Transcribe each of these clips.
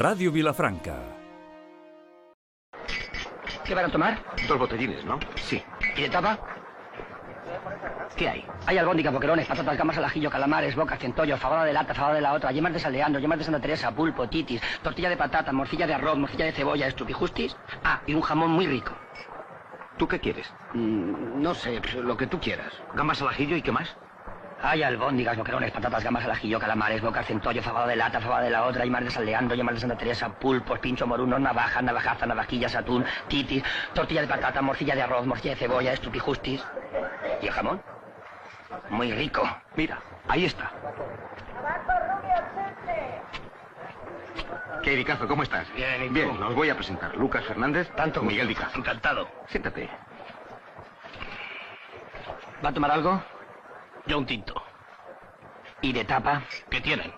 Radio Vilafranca. ¿Qué van a tomar? 2 botellines, ¿no? Sí. ¿Y de tapa? ¿Qué hay? Hay albóndigas, boquerones, patatas, gambas al ajillo, calamares, bocas, centollos, fabada de lata, fabada de la otra, yemas de saldeando, yemas de Santa Teresa, pulpo, titis, tortilla de patata, morcilla de arroz, morcilla de cebolla, estupijustis. Ah, y un jamón muy rico. ¿Tú qué quieres? No sé, pues, lo que tú quieras. ¿Gambas al ajillo y qué más? Hay albóndigas, boquerones, patatas, gambas al ajillo, calamares, bocas, centollo, fabada de lata, fabada de la otra, yemas de saldeando, yemas de Santa Teresa, pulpos, pincho morunos, navajas, navajaza, navajillas, atún, titis, tortilla de patata, morcilla de arroz, morcilla de cebolla, estupijustis. ¿Y el jamón? Muy rico. Mira, ahí está. ¿Qué, Dicazo? ¿Cómo estás? Bien, ¿y tú? Bien, os voy a presentar. Lucas Fernández, Tanto Miguel Dicazo. Encantado. Siéntate. ¿Va a tomar algo? Yo un tinto. ¿Y de tapa? ¿Qué tienen?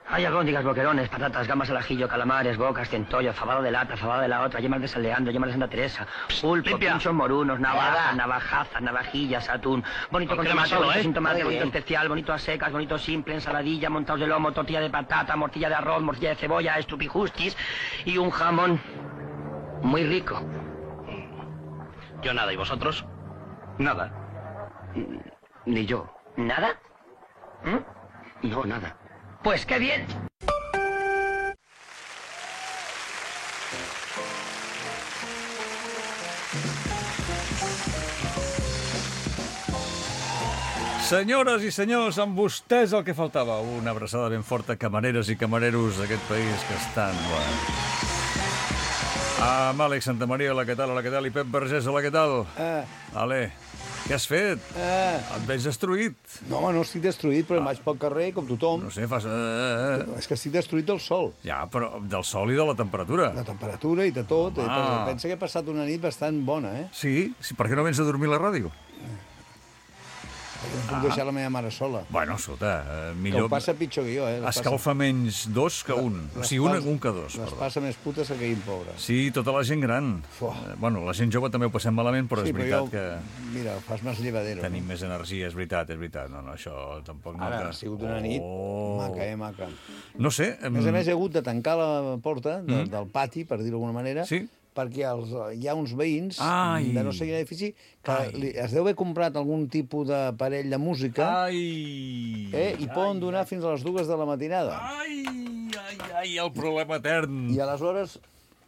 Hay albóndigas, boquerones, patatas, gambas al ajillo, calamares, bocas, centollo, fabada de lata, fabada de la otra, yemas de saldeando, yemas de Santa Teresa, pulpo, Limpia. pinchos morunos, navajas, navajazas, navajillas, atún, bonito con Porque tomate, solo, bonito sin tomate, Muy bonito bien. especial, bonito a secas, bonito simple, ensaladilla, montados de lomo, tortilla de patata, morcilla de arroz, morcilla de cebolla, estupijustis y un jamón muy rico. Yo nada, ¿y vosotros? Nada. Ni yo. ¿Nada? No, nada. Pues qué bien. Senyores i senyors, amb vostès el que faltava. Una abraçada ben forta a camareres i camareros d'aquest país que estan... Bueno. Amb Àlex Santamaria, hola, què tal? Hola, què tal? I Pep Vergés, hola, què tal? Ale, què has fet? Et veig destruït. No, home, no estic destruït, però em vaig pel carrer com tothom. No sé, fas... És que estic destruït del sol, Ja, però del sol i de la temperatura. la temperatura i de tot. Ah. Pensa que he passat una nit bastant bona, eh? Sí? Per què no vens a dormir a la ràdio? Perquè no puc deixar la meva mare sola. Bueno, escolta, Que millor... ho passa pitjor que jo, eh? Escalfa menys dos que un. O sigui, un que dos. Les Perdó. passa més putes que aquell pobre. Sí, tota la gent gran. Fuà. Bueno, la gent jove també ho passem malament, però és veritat que Mira, fas més llevadero. tenim més energia, és veritat, és veritat. No, no, això tampoc no... Ara, que- ha sigut una nit maca, maca. No sé... A més, he hagut de tancar la porta del pati, per dir-ho d'alguna manera, Sí. perquè hi ha uns veïns Ai. de no sé quin edifici que Ai. es deu haver comprat algun tipus d'aparell de música Ai! i poden donar fins a les 2 de la matinada. Ai, el problema etern. I aleshores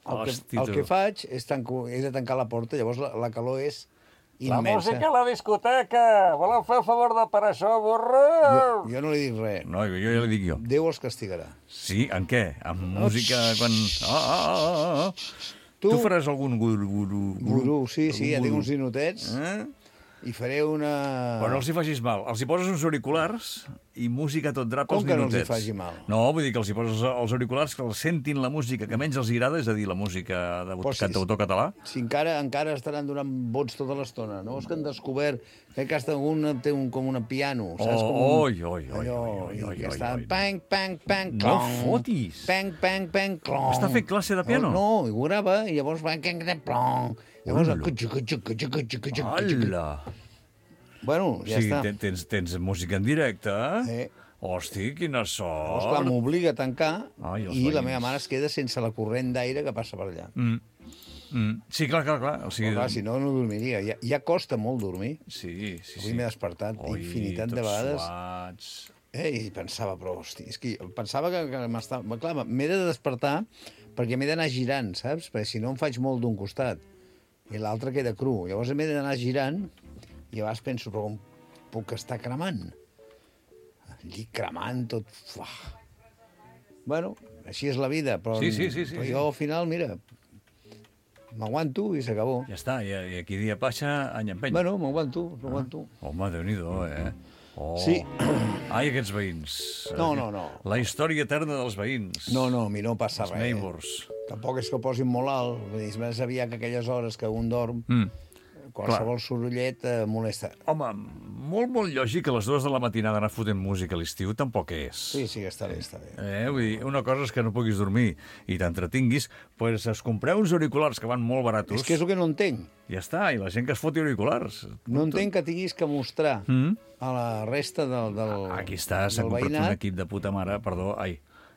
Hosti, el tu. que faig és de tancar la porta, llavors la calor és La immensa. música a la discoteca! Voleu fer el favor de parar això, burro? Jo no li dic res. No, jo ja li dic jo. Déu els castigarà. Sí, en què? Amb música quan... Tu faràs algun guru? Gurú, sí, ja tinc uns ninotets i faré una... Però no els hi facis mal. Els hi poses uns auriculars i música a tot drap Com als que no els hi ninotets. faci mal? No, vull dir que els hi poses els auriculars que els sentin la música que menys els agrada, és a dir, la música de Però si- cantautor català. Si encara estaran donant vots tota l'estona, no? És que han descobert que cada un té com un piano, saps? Com Oi. allò, i que està oi. pang, pang, pang, No clong. fotis. Pang, pang, pang, clong. Està fent classe de piano? No, i ho grava, i llavors va, plong. Llavors, Hola. Hola! Bueno, ja Sí, està. tens música en directe? Eh. Hosti, quina Llavors, clar, sort! m'obliga a tancar Ai, els i la veïns. meva mare es queda sense la corrent d'aire que passa per allà. Sí, clar. O sigui, Però, clar, si no, no dormiria. Ja costa molt dormir. Sí. Avui m'he despertat infinitat de tots vegades. suats. I pensava, però, hosti, és que pensava que m'estava... Clar, m'he de despertar perquè m'he d'anar girant, saps? Perquè si no em faig molt d'un costat i l'altre queda cru. Llavors m'he d'anar girant i a vegades penso, però com puc estar cremant? El llit cremant, tot... Fuà. Bueno, així és la vida, però, Sí, però jo al final, mira, m'aguanto i s'acabó. Ja està, i aquí dia passa, any empeny. Bueno, m'aguanto. Home, Déu-n'hi-do, Oh. Sí. Ai, aquests veïns. No. La història eterna dels veïns. No, a mi no passa Els res. neighbors. Tampoc és que ho posin molt alt. Vull dir, és més aviat que aquelles hores que un dorm, qualsevol sorollet molesta. Home, molt lògic que a les 2 de la matinada anar fotent música a l'estiu tampoc és. Sí, està bé. Vull dir, una cosa és que no puguis dormir i t'entretinguis, doncs es compreu uns auriculars que van molt baratos. És que és el que no entenc. Ja està, i la gent que es foti auriculars. No entenc que tinguis que mostrar a la resta del Aquí està, s'ha del comprat un veïnat. equip de puta mare, perdó,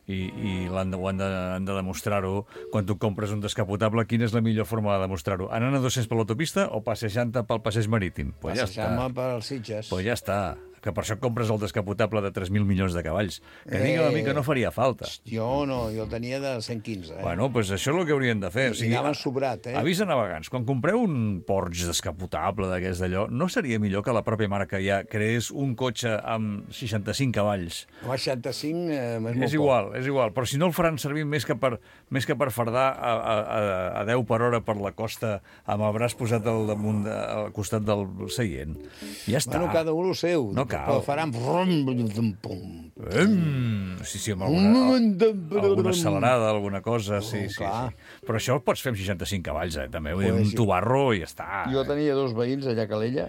i han de demostrar-ho quan tu compres un descapotable. Quina és la millor forma de demostrar-ho? Anant a 200 per l'autopista o passejant-te pel passeig marítim? Pues ja està. Passejant-me pels Sitges. Pues ja està. Que per això compres el descapotable de 3.000 milions de cavalls. Que digui a mi que no faria falta. Jo no, jo el tenia de 115. Bueno, doncs això és el que haurien de fer. I anaven sobrat, Avís a navegants, quan compreu un Porsche descapotable d'aquest d'allò, no seria millor que la pròpia marca ja creés un cotxe amb 65 cavalls? Home, 65 és molt És igual, però si no el faran servir més que per fardar a 10 per hora per la costa amb el braç posat al costat del seient. Ja està. Bueno, cada un el seu. No cal. Però faran... Sí, amb alguna accelerada, alguna cosa, sí. Però això ho pots fer amb 65 cavalls, també. Vull dir, un tubarro i ja està. Jo tenia 2 veïns allà a Calella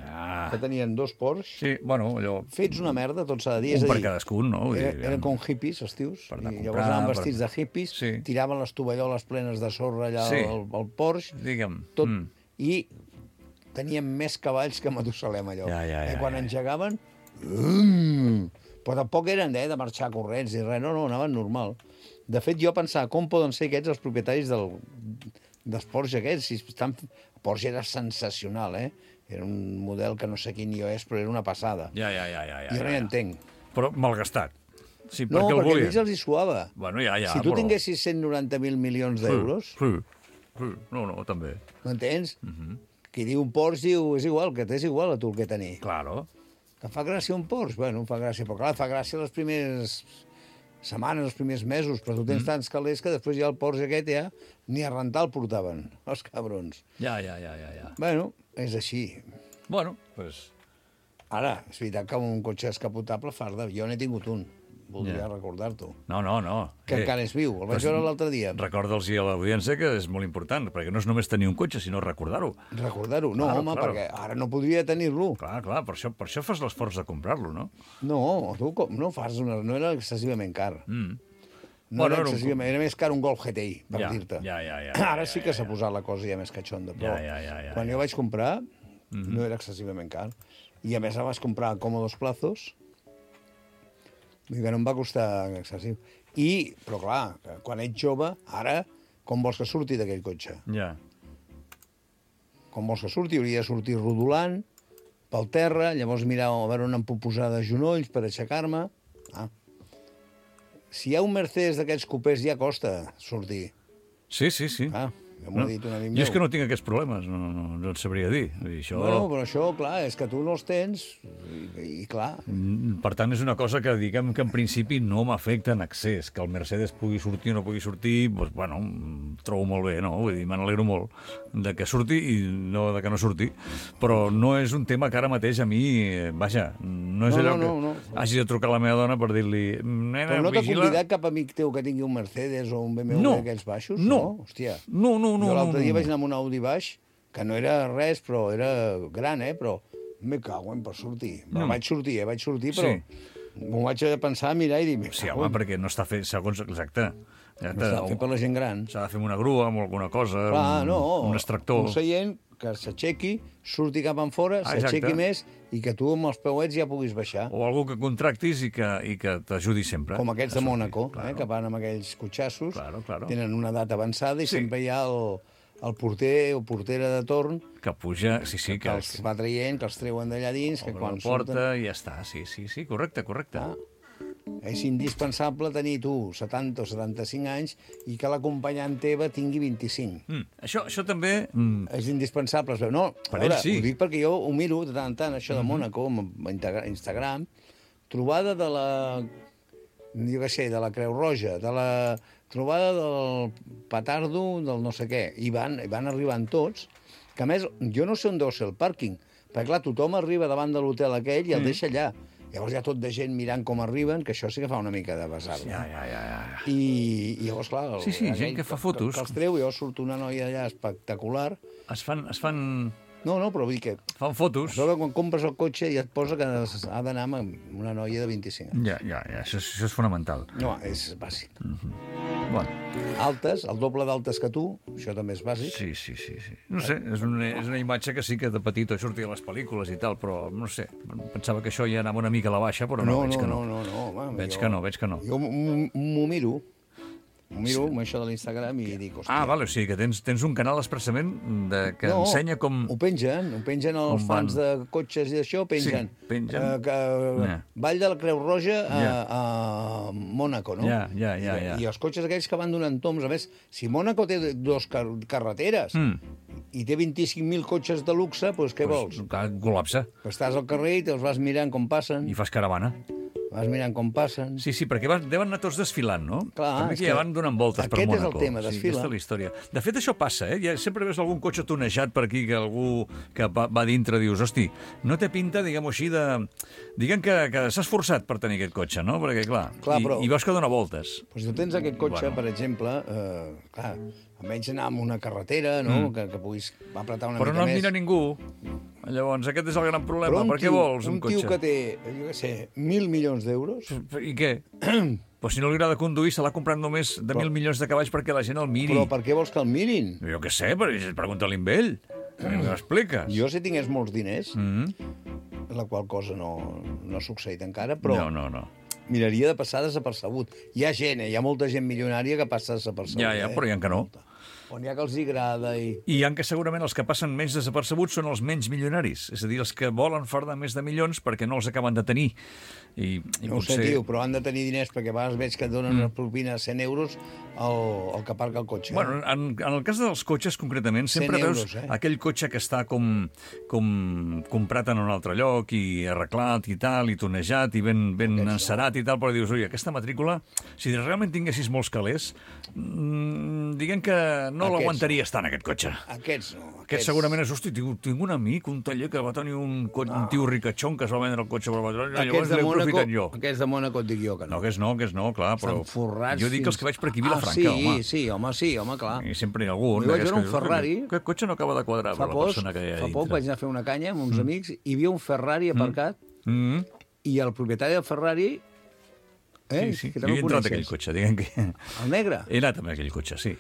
que tenien 2 Porsche. Sí, bueno, allò... Fets una merda, tot s'ha de dir. Un per cadascun, no? Eren com hippies, els tios. I llavors anaven vestits de hippies, tiraven les tovalloles plenes de sorra allà al Porsche. Digue'm. Tot. I tenien més cavalls que Matusalem, allò. Quan engegaven... Però tampoc eren de marxar corrents i res, no, anaven normal. De fet, jo pensava, com poden ser aquests els propietaris dels Porsche aquests? El Porsche era sensacional, Era un model que no sé quin jo és, però era una passada. Ja. Jo no hi entenc. Però malgastat. Sí, no, perquè a ells els hi suava. Bueno, ja, si tu tinguessis 190.000 milions d'euros... Sí. No, també. M'entens? Qui diu un Porsche diu, és igual, que t'és igual a tu el que tenir. Claro. Que fa gràcia un Porsche? Bueno, fa gràcia, però clar, fa gràcia les primeres setmanes, els primers mesos, però tu tens tants calés que després ja el Porsche aquest ja ni a rentar el portaven, els cabrons. Ja. Bueno, és així. Bueno, doncs... Ara, és veritat que un cotxe descapotable farda. Jo n'he tingut un. Voldria recordar-t'ho. No. Que encara és viu. El vaig veure l'altre dia. Recorda'ls a l'audiència que és molt important, perquè no és només tenir un cotxe, sinó recordar-ho. Recordar-ho? No, home, perquè ara no podria tenir-lo. Clar, per això fas l'esforç de comprar-lo, no? No, tu no fas no era excessivament car. No era excessivament, era més car un Golf GTI, per dir-te. Ja. Ara sí que s'ha posat la cosa ja més catxonda, però quan jo vaig comprar no era excessivament car. I a més el vaig comprar a còmodos plazos, vull dir que no em va costar excessiu. Però clar, quan ets jove, ara, com vols que surti d'aquell cotxe? Ja. Com vols que surti? Hauria de sortir rodolant, pel terra, llavors mirar a veure on em puc posar de genolls per aixecar-me. Si hi ha un Mercedes d'aquests cupers ja costa sortir. Sí. Ja m'ho ha dit un amic meu. Jo és que no tinc aquests problemes, no et sabria dir. Bueno, però això, clar, és que tu no els tens i clar... Per tant, és una cosa que diguem que en principi no m'afecta en excés. Que el Mercedes pugui sortir o no pugui sortir, doncs, bueno, trobo molt bé, no? Vull dir, me n'alegro molt de que surti i no de que no surti. Però no és un tema que ara mateix a mi, vaja, no és allò que hagi de trucar a la meva dona per dir-li... Però no t'ha convidat cap amic teu que tingui un Mercedes o un BMW d'aquells baixos? No. Hòstia. No. Jo l'altre dia vaig anar amb un Audi baix, que no era res, però era gran, però me cago per sortir. Vaig sortir, però m'ho vaig pensar, mirar i dir... Sí, home, perquè no està fet segons exacte. No està fet per la gent gran. S'ha de fer amb una grua, amb alguna cosa, un extractor. Un seient que s'aixequi, surti cap enfora, s'aixequi més i que tu amb els peuets ja puguis baixar. O algú que contractis i que t'ajudi sempre. Com aquests de Mònaco, que van amb aquells cotxassos, tenen una edat avançada i sempre hi ha el porter o portera de torn que puja, que els va traient, que els treuen d'allà dins, que quan porta i ja està, sí, correcte. És indispensable tenir tu 70 o 75 anys i que l'acompanyant teva tingui 25. Això també... És indispensable. No, per ell sí. Ho dic perquè jo ho miro de tant en tant, això de Mònaco, a Instagram, trobada de la... jo què sé, de la Creu Roja, de la trobada del petardo, del no sé què. I van arribant tots, que a més, jo no sé on deu ser el pàrquing, perquè clar, tothom arriba davant de l'hotel aquell i el deixa allà. Llavors hi ha tot de gent mirant com arriben, que això sí que fa una mica de besar. Ja. I llavors, clar... Sí, gent que fa fotos. Que els treu, llavors surt una noia allà espectacular. Es fan... No, però vull dir que... Fan fotos. Però quan compres el cotxe i et posa que ha d'anar amb una noia de 25 anys. Ja, això és fonamental. No, és bàsic. Bueno, Altes, el doble d'altes que tu, això també és bàsic. sí. No sé, és una imatge que sí que de petit sortia a les pel·lícules i tal, però no sé, pensava que això ja anava una mica a la baixa, però no, veig que no. No, home, Veig que no. Jo m'ho miro, amb això de l'Instagram i dic, hòstia... Vale, o sigui que tens un canal expressament que ensenya com... Ho pengen els fans de cotxes i d'això, pengen. Sí, pengen. Vall de la Creu Roja a Mònaco, no? Ja. I els cotxes aquells que van donant toms. A més, si Mònaco té dos carreteres i té 25.000 cotxes de luxe, doncs què vols? Col·lapsa. Estàs al carrer i te'ls vas mirant com passen. I fas caravana. Vas mirant com passen. Sí, perquè deuen anar tots desfilant, no? Clar, també que ja van donant voltes per Mònaco. Aquest és el tema, desfila. Sí, aquesta és la història. De fet, això passa, Ja sempre veus algun cotxe tonejat per aquí, que algú que va dintre dius, hosti, no té pinta, diguem-ho així, Diguem que s'ha esforçat per tenir aquest cotxe, no? Perquè, clar i veus que dona voltes. Doncs tu tens aquest cotxe, per exemple, almenys anar amb una carretera, no? Que puguis apretar una mica més. Però no et mira ningú. Llavors, aquest és el gran problema. Per què vols un cotxe? Un tio que té, jo què sé, 1.000 milions d'euros... I què? Però si no li agrada conduir, se l'ha comprat només de 1.000 milions de cavalls perquè la gent el miri. Però per què vols que el mirin? Jo què sé, pregunta-li amb ell. M'expliques? Jo, si tingués molts diners, la qual cosa no ha succeït encara, però... No. Miraria de passar desapercebut. Hi ha gent, hi ha molta gent milionària que passa desapercebut. Ja, però hi ha que no. On hi ha que els agrada i... I hi ha que segurament els que passen menys desapercebuts són els menys milionaris. És a dir, els que volen fardar més de milions perquè no els acaben de tenir. I no potser... ho sé, tio, però han de tenir diners perquè a vegades veig que et donen una propina de 100 euros el que aparca el cotxe. Bueno, en el cas dels cotxes, concretament, sempre veus aquell cotxe que està com comprat en un altre lloc i arreglat i tal, i tonejat i ben encerat i tal, però dius, ui, aquesta matrícula, si realment tinguessis molts calés, diguem que no l'aguantaries tant, aquest cotxe. Aquests no. Aquest segurament és, hosti, tinc un amic, un taller que va tenir un tio ricachón que es va vendre el cotxe per llavors l'he aprofitat jo. Aquests de Mònaco et dic jo que no. Aquests no, clar, però jo dic els que vaig per aquí a Vilafranca, home. Sí, home, clar. I sempre hi ha algun. Jo vaig veure un Ferrari. Aquest cotxe no acaba de quadrar per la persona que hi ha dintre. Fa poc vaig anar a fer una canya amb uns amics i hi havia un Ferrari aparcat i el propietari del Ferrari... Sí. Jo he entrat aquell cotxe, diguem que... El negre? He anat amb aquell cotxe, sí.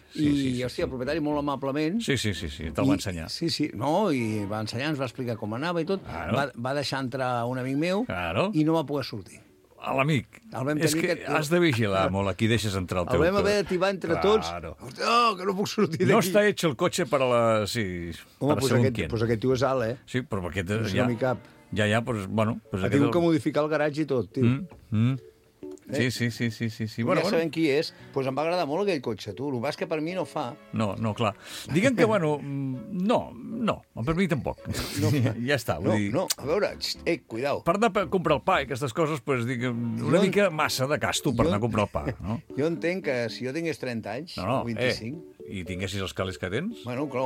Hòstia, el propietari molt amablement... Sí, te'l va ensenyar. Sí, no, i va ensenyar, ens va explicar com anava i tot. Va deixar entrar un amic meu i no va poder sortir. A l'amic. És que has de vigilar molt a qui deixes entrar el teu... El vam haver d'ativar entre tots. Hòstia, que no puc sortir d'aquí. No està hecho el cotxe per a la... Sí, home, doncs aquest tio és alt, Sí, però aquest... No m'hi cap. Ja, doncs, bueno... Ha tingut que modificar el garatge i tot, tio. Sí. Bueno, ja sabem qui és. Doncs em va agradar molt aquell cotxe, tu. El que és que per mi no fa. No, clar. Diguem que, no, per mi tampoc. Ja està. No, a veure, cuidao. Per anar a comprar el pa i aquestes coses, doncs, una mica massa de casto per anar a comprar el pa, no? Jo entenc que si jo tingués 30 anys, o 25... I tinguessis els calés que tens? Bueno, clar,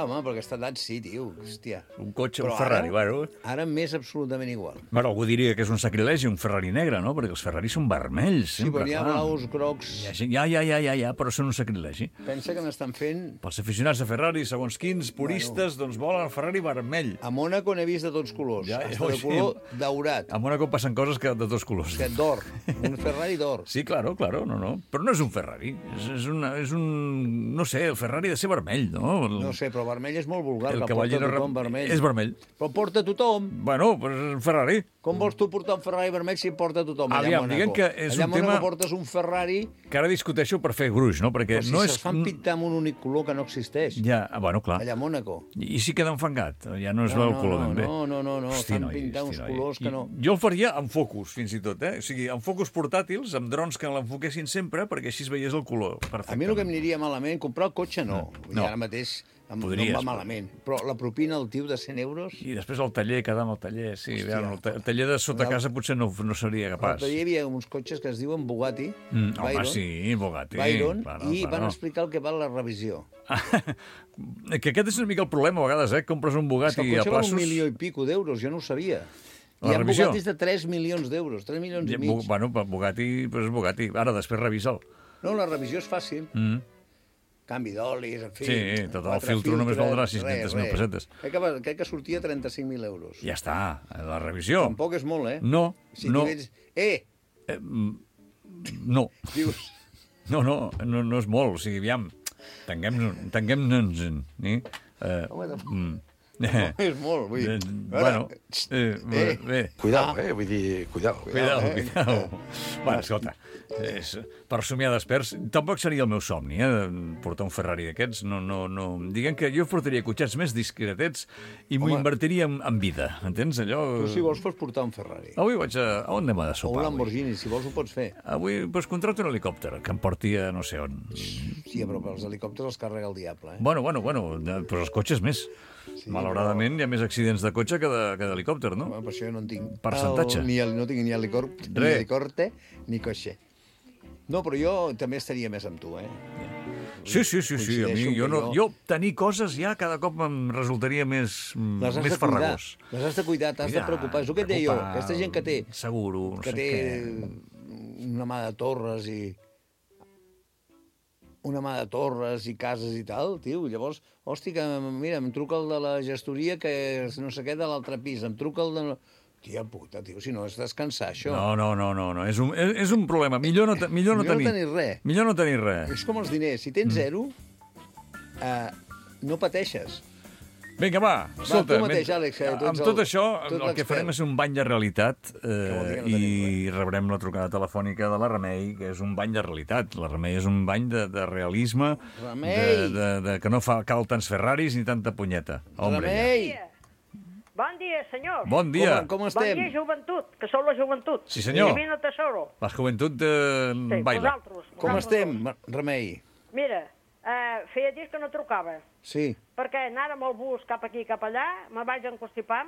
home, per aquesta edat sí, tio, hòstia. Un cotxe, un Ferrari, bueno. Ara m'és absolutament igual. Bueno, algú diria que és un sacrilegi un Ferrari negre, no? Perquè els Ferraris són vermells, sempre, clar. Sí, però hi ha blaus, grocs... Ja, però són un sacrilegi. Pensa que n'estan fent... Pels aficionats de Ferrari, segons quins puristes, doncs volen el Ferrari vermell. A Mònaco n'he vist de tots colors, de color daurat. A Mònaco passen coses que de tots colors. Que d'or, un Ferrari d'or. Sí, claro, no. Però no és un Ferrari, és un... No sé, el Ferrari ha de ser vermell, no? No sé, però vermell és molt vulgar, el que porta tothom vermell. És vermell. Però porta tothom. Bueno, però és un Ferrari. Com vols tu portar un Ferrari vermell si porta tothom allà a Mònaco? Diguem que és allà un tema... Allà a Mònaco portes un Ferrari... Que ara discuteixo per fer gruix, no? Perquè però si se'ls fan pintar amb un únic color que no existeix. Ja, bueno, clar. Allà a Mònaco. I si queda enfangat? Ja no es veu el color ben bé. No. Fan pintar uns colors que no... Jo el faria amb focus, fins i tot, O sigui, amb focus portàtils, amb drons que l'enfoquessin sempre, perquè així es veiés el color. A mi el que em aniria malament, comprar el cotxe no. Ara mateix... no em va malament, però la propina al tio de 100 euros... I després el taller, quedar amb el taller, sí. El taller de sota casa potser no seria capaç. Al taller hi havia uns cotxes que es diuen Bugatti, Home, sí, Bugatti. Byron, i van explicar el que val la revisió. Que aquest és una mica el problema, a vegades, compres un Bugatti a plaços... El cotxe val $1 milió i pico d'euros, jo no ho sabia. Hi ha Bugattis de 3 milions d'euros, 3 milions i mig. Bueno, Bugatti, però és Bugatti. Ara, després revisa'l. No, la revisió és fàcil. Canvi d'olis, en fi... Sí, tot el filtro només valdrà 600.000 pessetes. Crec que sortia 35.000 euros. Ja està, la revisió. Tampoc és molt, No, si no. No. Dius... No és molt. O sigui, aviam, tanguem-nos. És molt, vull dir. Bueno, bé. Cuidao, vull dir, cuidao. Cuidao. Bueno, escolta, per somiar desperts, tampoc seria el meu somni, portar un Ferrari d'aquests. No. Diguem que jo portaria cotxets més discretets i m'ho invertiria en vida, entens? Allò... Però si vols pots portar un Ferrari. Avui vaig a... On anem a O sopar? un Lamborghini, si vols ho pots fer. Avui doncs, contracto un helicòpter que em porti a no sé on. Sí, però els helicòpters els carrega el diable, Bueno, però els cotxes més. Sí, malauradament hi ha més accidents de cotxe que d'helicòpter, no? Per això jo no en tinc. Percentatge. No tinc ni helicòpter ni cotxe. No, però jo també estaria més amb tu, Sí. A mi, jo tenir coses ja cada cop em resultaria més farragós. Les has de cuidar, t'has de preocupar. És el que et deia jo, aquesta gent que té... Seguro, no que sé té què. una mà de torres i cases i tal, tio. Llavors, hòstia, que mira, em truca el de la gestoria que no sé què de l'altre pis, em truca el de... Tia puta, tio, si no és descansar, això. No. És un problema. Millor no tenir res. Millor no tenir res. És com els diners. Si tens zero, no pateixes. Vinga, va, escolta, tu mateix, Àlex, amb tot això el que farem és un bany de realitat i rebrem la trucada telefònica de la Remei, que és un bany de realitat. La Remei és un bany de realisme, que no cal tants Ferraris ni tanta punyeta. Remei! Bon dia, senyor. Bon dia. Com estem? Bon dia, joventut, que sou la joventut. Sí, senyor. Divino tesoro. La joventut baila. Vosaltres. Com estem, Remei? Mira, feia dies que no trucava, Sí. perquè anava amb el bus cap aquí i cap allà, me vaig enconstipar,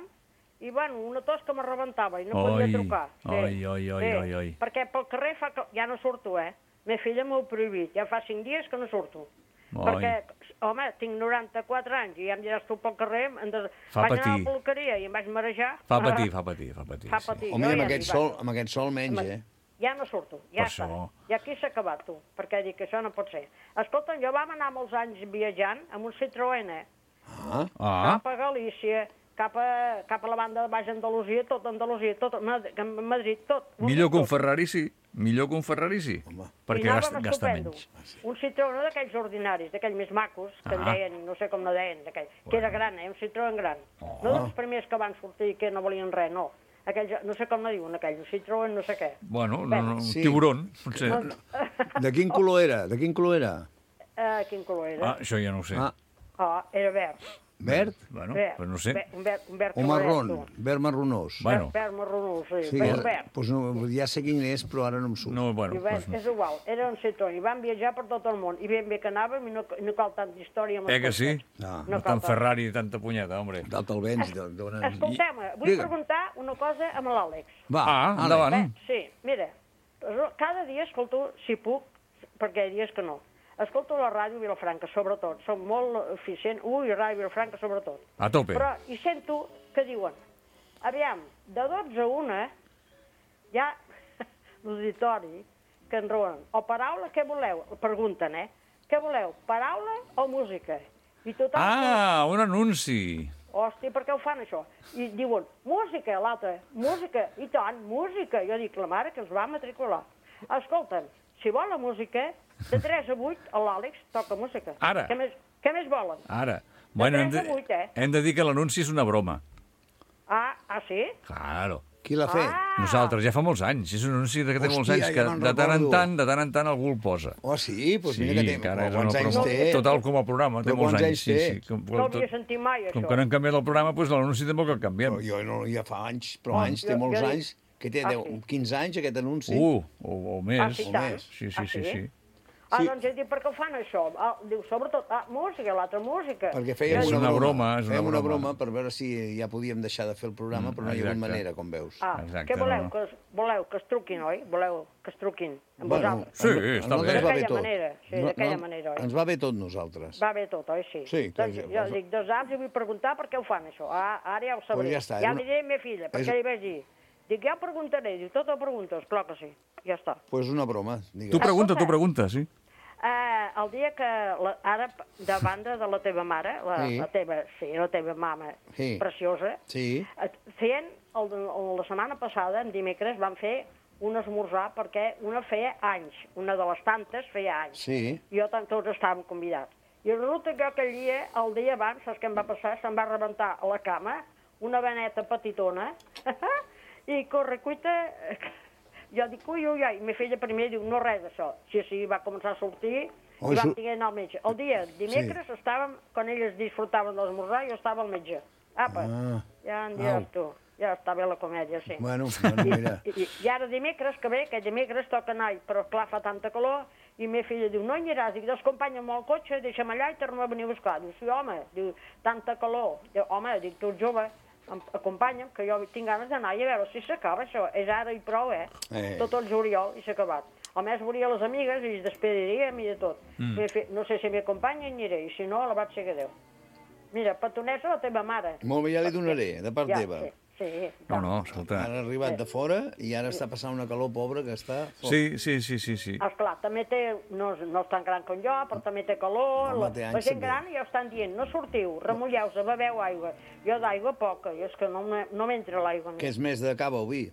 i, bueno, una tos que me rebentava i no podia trucar. Oi. Perquè pel carrer ja no surto, Ma filla m'ho prohibit, ja fa 5 dies que no surto. Perquè, home, tinc 94 anys i ja em diràs tu pel carrer, vaig anar a la peluqueria i em vaig marejar. Fa patir. Home, amb aquest sol menys, Ja no surto, ja està. I aquí s'ha acabat, tu, perquè dic que això no pot ser. Escolta, jo vam anar molts anys viatjant amb un Citroën, cap a Galícia, cap a la banda de baix Andalusia, tot Madrid, tot. Millor que un Ferrari, sí. Perquè gasta menys. Un Citroën d'aquells ordinaris, d'aquells més macos, que en deien, no sé com no deien, que era gran, un Citroën gran. No dels primers que van sortir que no volien res, no. Aquells, no sé com no diuen aquells, un Citroën no sé què. Bueno, tiburon, potser. De quin color era? Quin color era? Això ja no ho sé. Era verd. Verd? Bueno, però no sé. Un verd o marrón, verd marronós. Bueno. Verd marronós, sí. Verd. Pues no, ja sé quin és, però ara no em surt. No, bueno, és igual, era un Citroën, i vam viatjar per tot el món, i ben bé que anàvem, i no cal tanta història. Que sí? No tant Ferrari i tanta punyeta, hombre. D'alta el vents. Escolteu-me, vull preguntar una cosa amb l'Àlex. Va, endavant. Sí, mira, cada dia escolto, si puc, perquè hi ha dies que no, escolto la ràdio Vilafranca, sobretot. Som molt eficient. Ràdio Vilafranca, sobretot. A tope. Però hi sento que diuen, aviam, de 12 a 1, hi ha l'auditori que en rouen. O paraula, què voleu? Pregunten, Què voleu, paraula o música? I tothom... Un anunci. Hòstia, per què ho fan, això? I diuen, música, l'altre, música, i tant, música. Jo dic, la mare que els va matricular. Escolta'm, si vol la música, de 3 a 8, l'Àlex toca música. Ara. Què més volen? Ara. Bueno, hem de dir que l'anunci és una broma. Sí? Claro. Qui l'ha fet? Nosaltres, ja fa molts anys. És un anunci que té molts anys que de tant en tant algú el posa. Sí? Doncs mira que té. Quants anys té? Total com a programa, té molts anys. No havia sentit mai, això. Com que no hem canviat el programa, doncs l'anunci tampoc el canviem. Jo ja fa anys, però anys, té molts anys. Que té 15 anys, aquest anunci? O més. Sí. Doncs he dit, per què ho fan, això? Diu, sobretot, música, l'altra música. Perquè fèiem una broma. Fèiem una broma per veure si ja podíem deixar de fer el programa, però no hi ha hagut manera, com veus. Què voleu? Voleu que es truquin, oi? Voleu que es truquin amb vosaltres? Sí, està bé. D'aquella manera, oi? Ens va bé tot, nosaltres. Va bé tot, oi? Sí. Doncs jo dic, 2 anys i vull preguntar per què ho fan, això. Ara ja ho sabré. Ja li diré a meva filla, perquè li vaig dir. Dic, ja ho preguntaré. Diu, tot ho preguntes? Clar que sí. Ja està. Doncs una broma. Tu pregunta, sí. El dia que, ara, de banda de la teva mare, la teva mama preciosa, feien, la setmana passada, en dimecres, van fer un esmorzar, perquè una feia anys, una de les tantes feia anys. Sí. Jo tots estàvem convidats. I resulta que aquell dia, el dia abans, saps què em va passar? Se'm va rebentar a la cama una veneta petitona i corre, cuita... Jo dic, ui, i me feia primer, diu, no res d'això. Sí, va començar a sortir i vam tenir anar al metge. El dia dimecres estàvem, quan elles disfrutaven de l'esmorzar, jo estava al metge. Apa, ja en diràs tu. Ja està bé la comèdia, sí. Bueno, mira. I ara dimecres, que bé, que dimecres toca anar, però clar, fa tanta calor, i meva filla diu, no hi aniràs, dic, acompanya'm al cotxe, deixa'm allà i tornem a venir a buscar. Diu, sí, home, diu, tanta calor. Diu, home, dic, tu ets jove, acompanya'm, que jo tinc ganes d'anar i a veure si s'acaba això. És ara i prou, Tot el juliol i s'ha acabat. A més, veuria les amigues i es despediríem i de tot. No sé si m'acompanya i aniré, i si no, la vaig seguir Déu. Mira, petonesa la teva mare. Molt bé, ja li donaré, de part teva. Sí. No, escolta. Ara ha arribat de fora i ara està passant una calor pobra que està... Sí. Esclar, també té, no és tan gran com jo, però també té calor. La gent gran ja estan dient, no sortiu, remulleu-se, beveu aigua. Jo d'aigua poca, i és que no m'entra l'aigua. Que és més de cava o vi?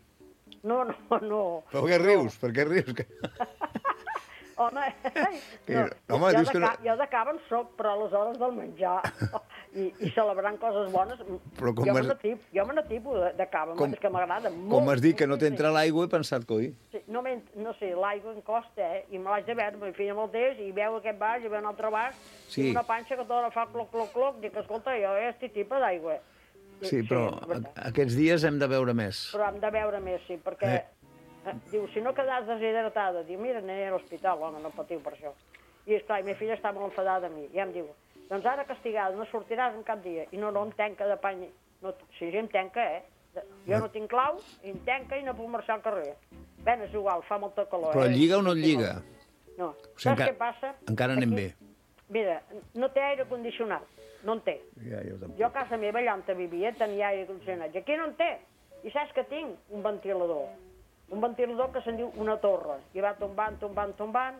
No. Però què rius? Per què rius? Home, jo de cava en soc, però a les hores del menjar i celebrant coses bones, jo me n'atipo de cava, és que m'agrada molt. Com has dit que no t'entra l'aigua, he pensat, coi. Sí, no sé, l'aigua em costa, i me l'haig de veure, me feia molt temps, i veu aquest vas, i veu un altre vas, i una panxa que tota fa cloc, dic, escolta, jo estic tipa d'aigua. Sí, però aquests dies hem de beure més. Però hem de beure més, sí, perquè... Diu, si no quedas deshidratada, diu, mira, aniré a l'hospital, home, no patiu per això. I esclar, meva filla està molt enfadada a mi, i em diu, doncs ara castigada, no sortiràs en cap dia, i no em tanca de pany, sí, em tanca, jo no tinc clau, i em tanca i no puc marxar al carrer. Bé, és igual, fa molta calor. Però lliga o no lliga? No, saps què passa? Encara anem bé. Mira, no té aire condicionat, no en té. Jo a casa meva, allà on vivia, tenia aire condicionat, i aquí no en té. I saps què tinc? Un ventilador que se'n diu una torre, i va tombant,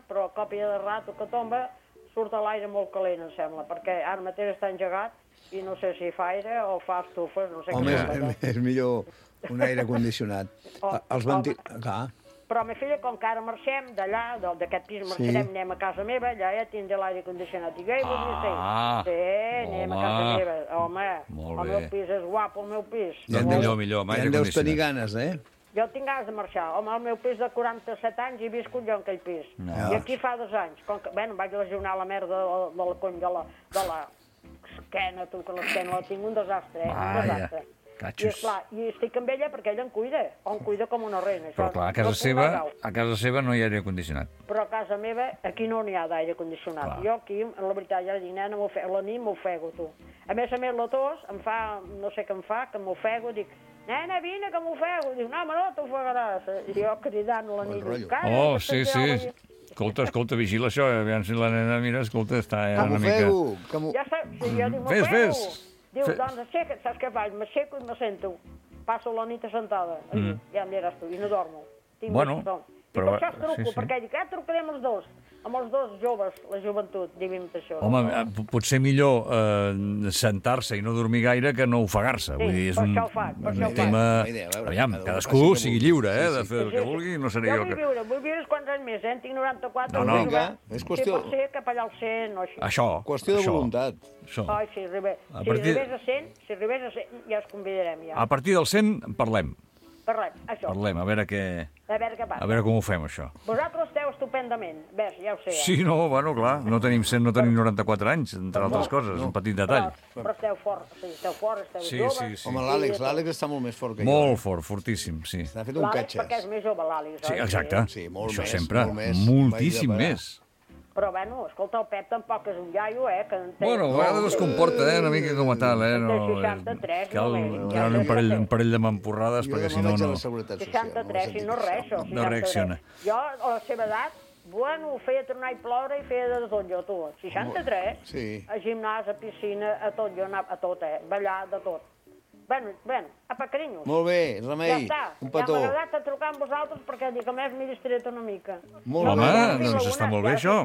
però a còpia de rato que tomba surt l'aire molt calent, em sembla, perquè ara mateix està engegat i no sé si fa aire o fa estufes, no sé què. Home, és millor un aire condicionat. Però, meva filla, com que ara marxem d'allà, d'aquest pis marxarem, anem a casa meva, allà ja tindré l'aire condicionat. Dic, sí, anem a casa meva. Home, el meu pis és guapo, el meu pis. Millor, amb aire condicionat. Ja en deus tenir ganes, Jo tinc ganes de marxar. Home, el meu pis de 47 anys he viscut jo en aquell pis. I aquí fa 2 anys. Em vaig lesionar la merda del cony de la esquena, tu, que l'esquena la tinc un desastre, un desastre. I esclar, i estic amb ella perquè ella em cuida com una reina. Però clar, a casa seva no hi ha aire condicionat. Però a casa meva aquí no n'hi ha d'aire condicionat. Jo aquí, la veritat, ja dic, nena, la nit m'ofego, tu. A més, la tos em fa, no sé què em fa, que m'ofego, dic, nena, vine, que m'ofego. Diu, no, no t'ofegaràs. I jo cridant la nit. Oh, sí. Escolta, vigila això, aviam si la nena, mira, escolta, està una mica... Ja saps, jo dic, m'ofego. Diu, doncs aixeca't, saps què faig? M'aixeco i me sento. Passo la nit assentada. Ja em diràs tu, i no dormo. Bueno, però... I per això es truco, perquè dic, trucarem els dos. Amb els dos joves, la joventut, diguem això. Home, potser millor sentar-se i no dormir gaire que no ofegar-se. Sí, per això ho faig, tema... Aviam, cadascú sigui lliure, de fer el que vulgui, no seré jo que... Jo vull viure quants anys més, tinc 94. No, és qüestió... Si pot ser cap allà al 100 o així. Això. Qüestió de voluntat. Ai, si arribés a 100, ja us convidarem, ja. A partir del 100 parlem. Això. Parlem, a veure què passa. A veure com ho fem, això. Vosaltres esteu estupendament, ves, ja ho sé. Sí, no, bueno, clar, no tenim 100, no tenim 94 anys, entre altres coses, un petit detall. Però esteu fort, esteu joves. Home, l'Àlex està molt més fort que jo. Molt fort, fortíssim, sí. Està fet un catxes. Perquè és més jove, l'Àlex. Sí, exacte. Això sempre, moltíssim més. Però, bueno, escolta, el Pep tampoc és un iaio, que... Bueno, a vegades es comporta, una mica com a tal, no... 63, cal un parell de mampurrades, perquè si no... 63, i no res, això. No reacciona. Jo, a la seva edat, bueno, feia tornar i ploure i feia de tot jo, tu. 63, a gimnàs, a piscina, a tot, jo anava a tot, ballar, de tot. Bueno, apa, carinyos. Molt bé, Remei, un petó. Ja m'ha agradat trucar amb vosaltres perquè dic, a més m'he distret una mica. Home, doncs està molt bé, això.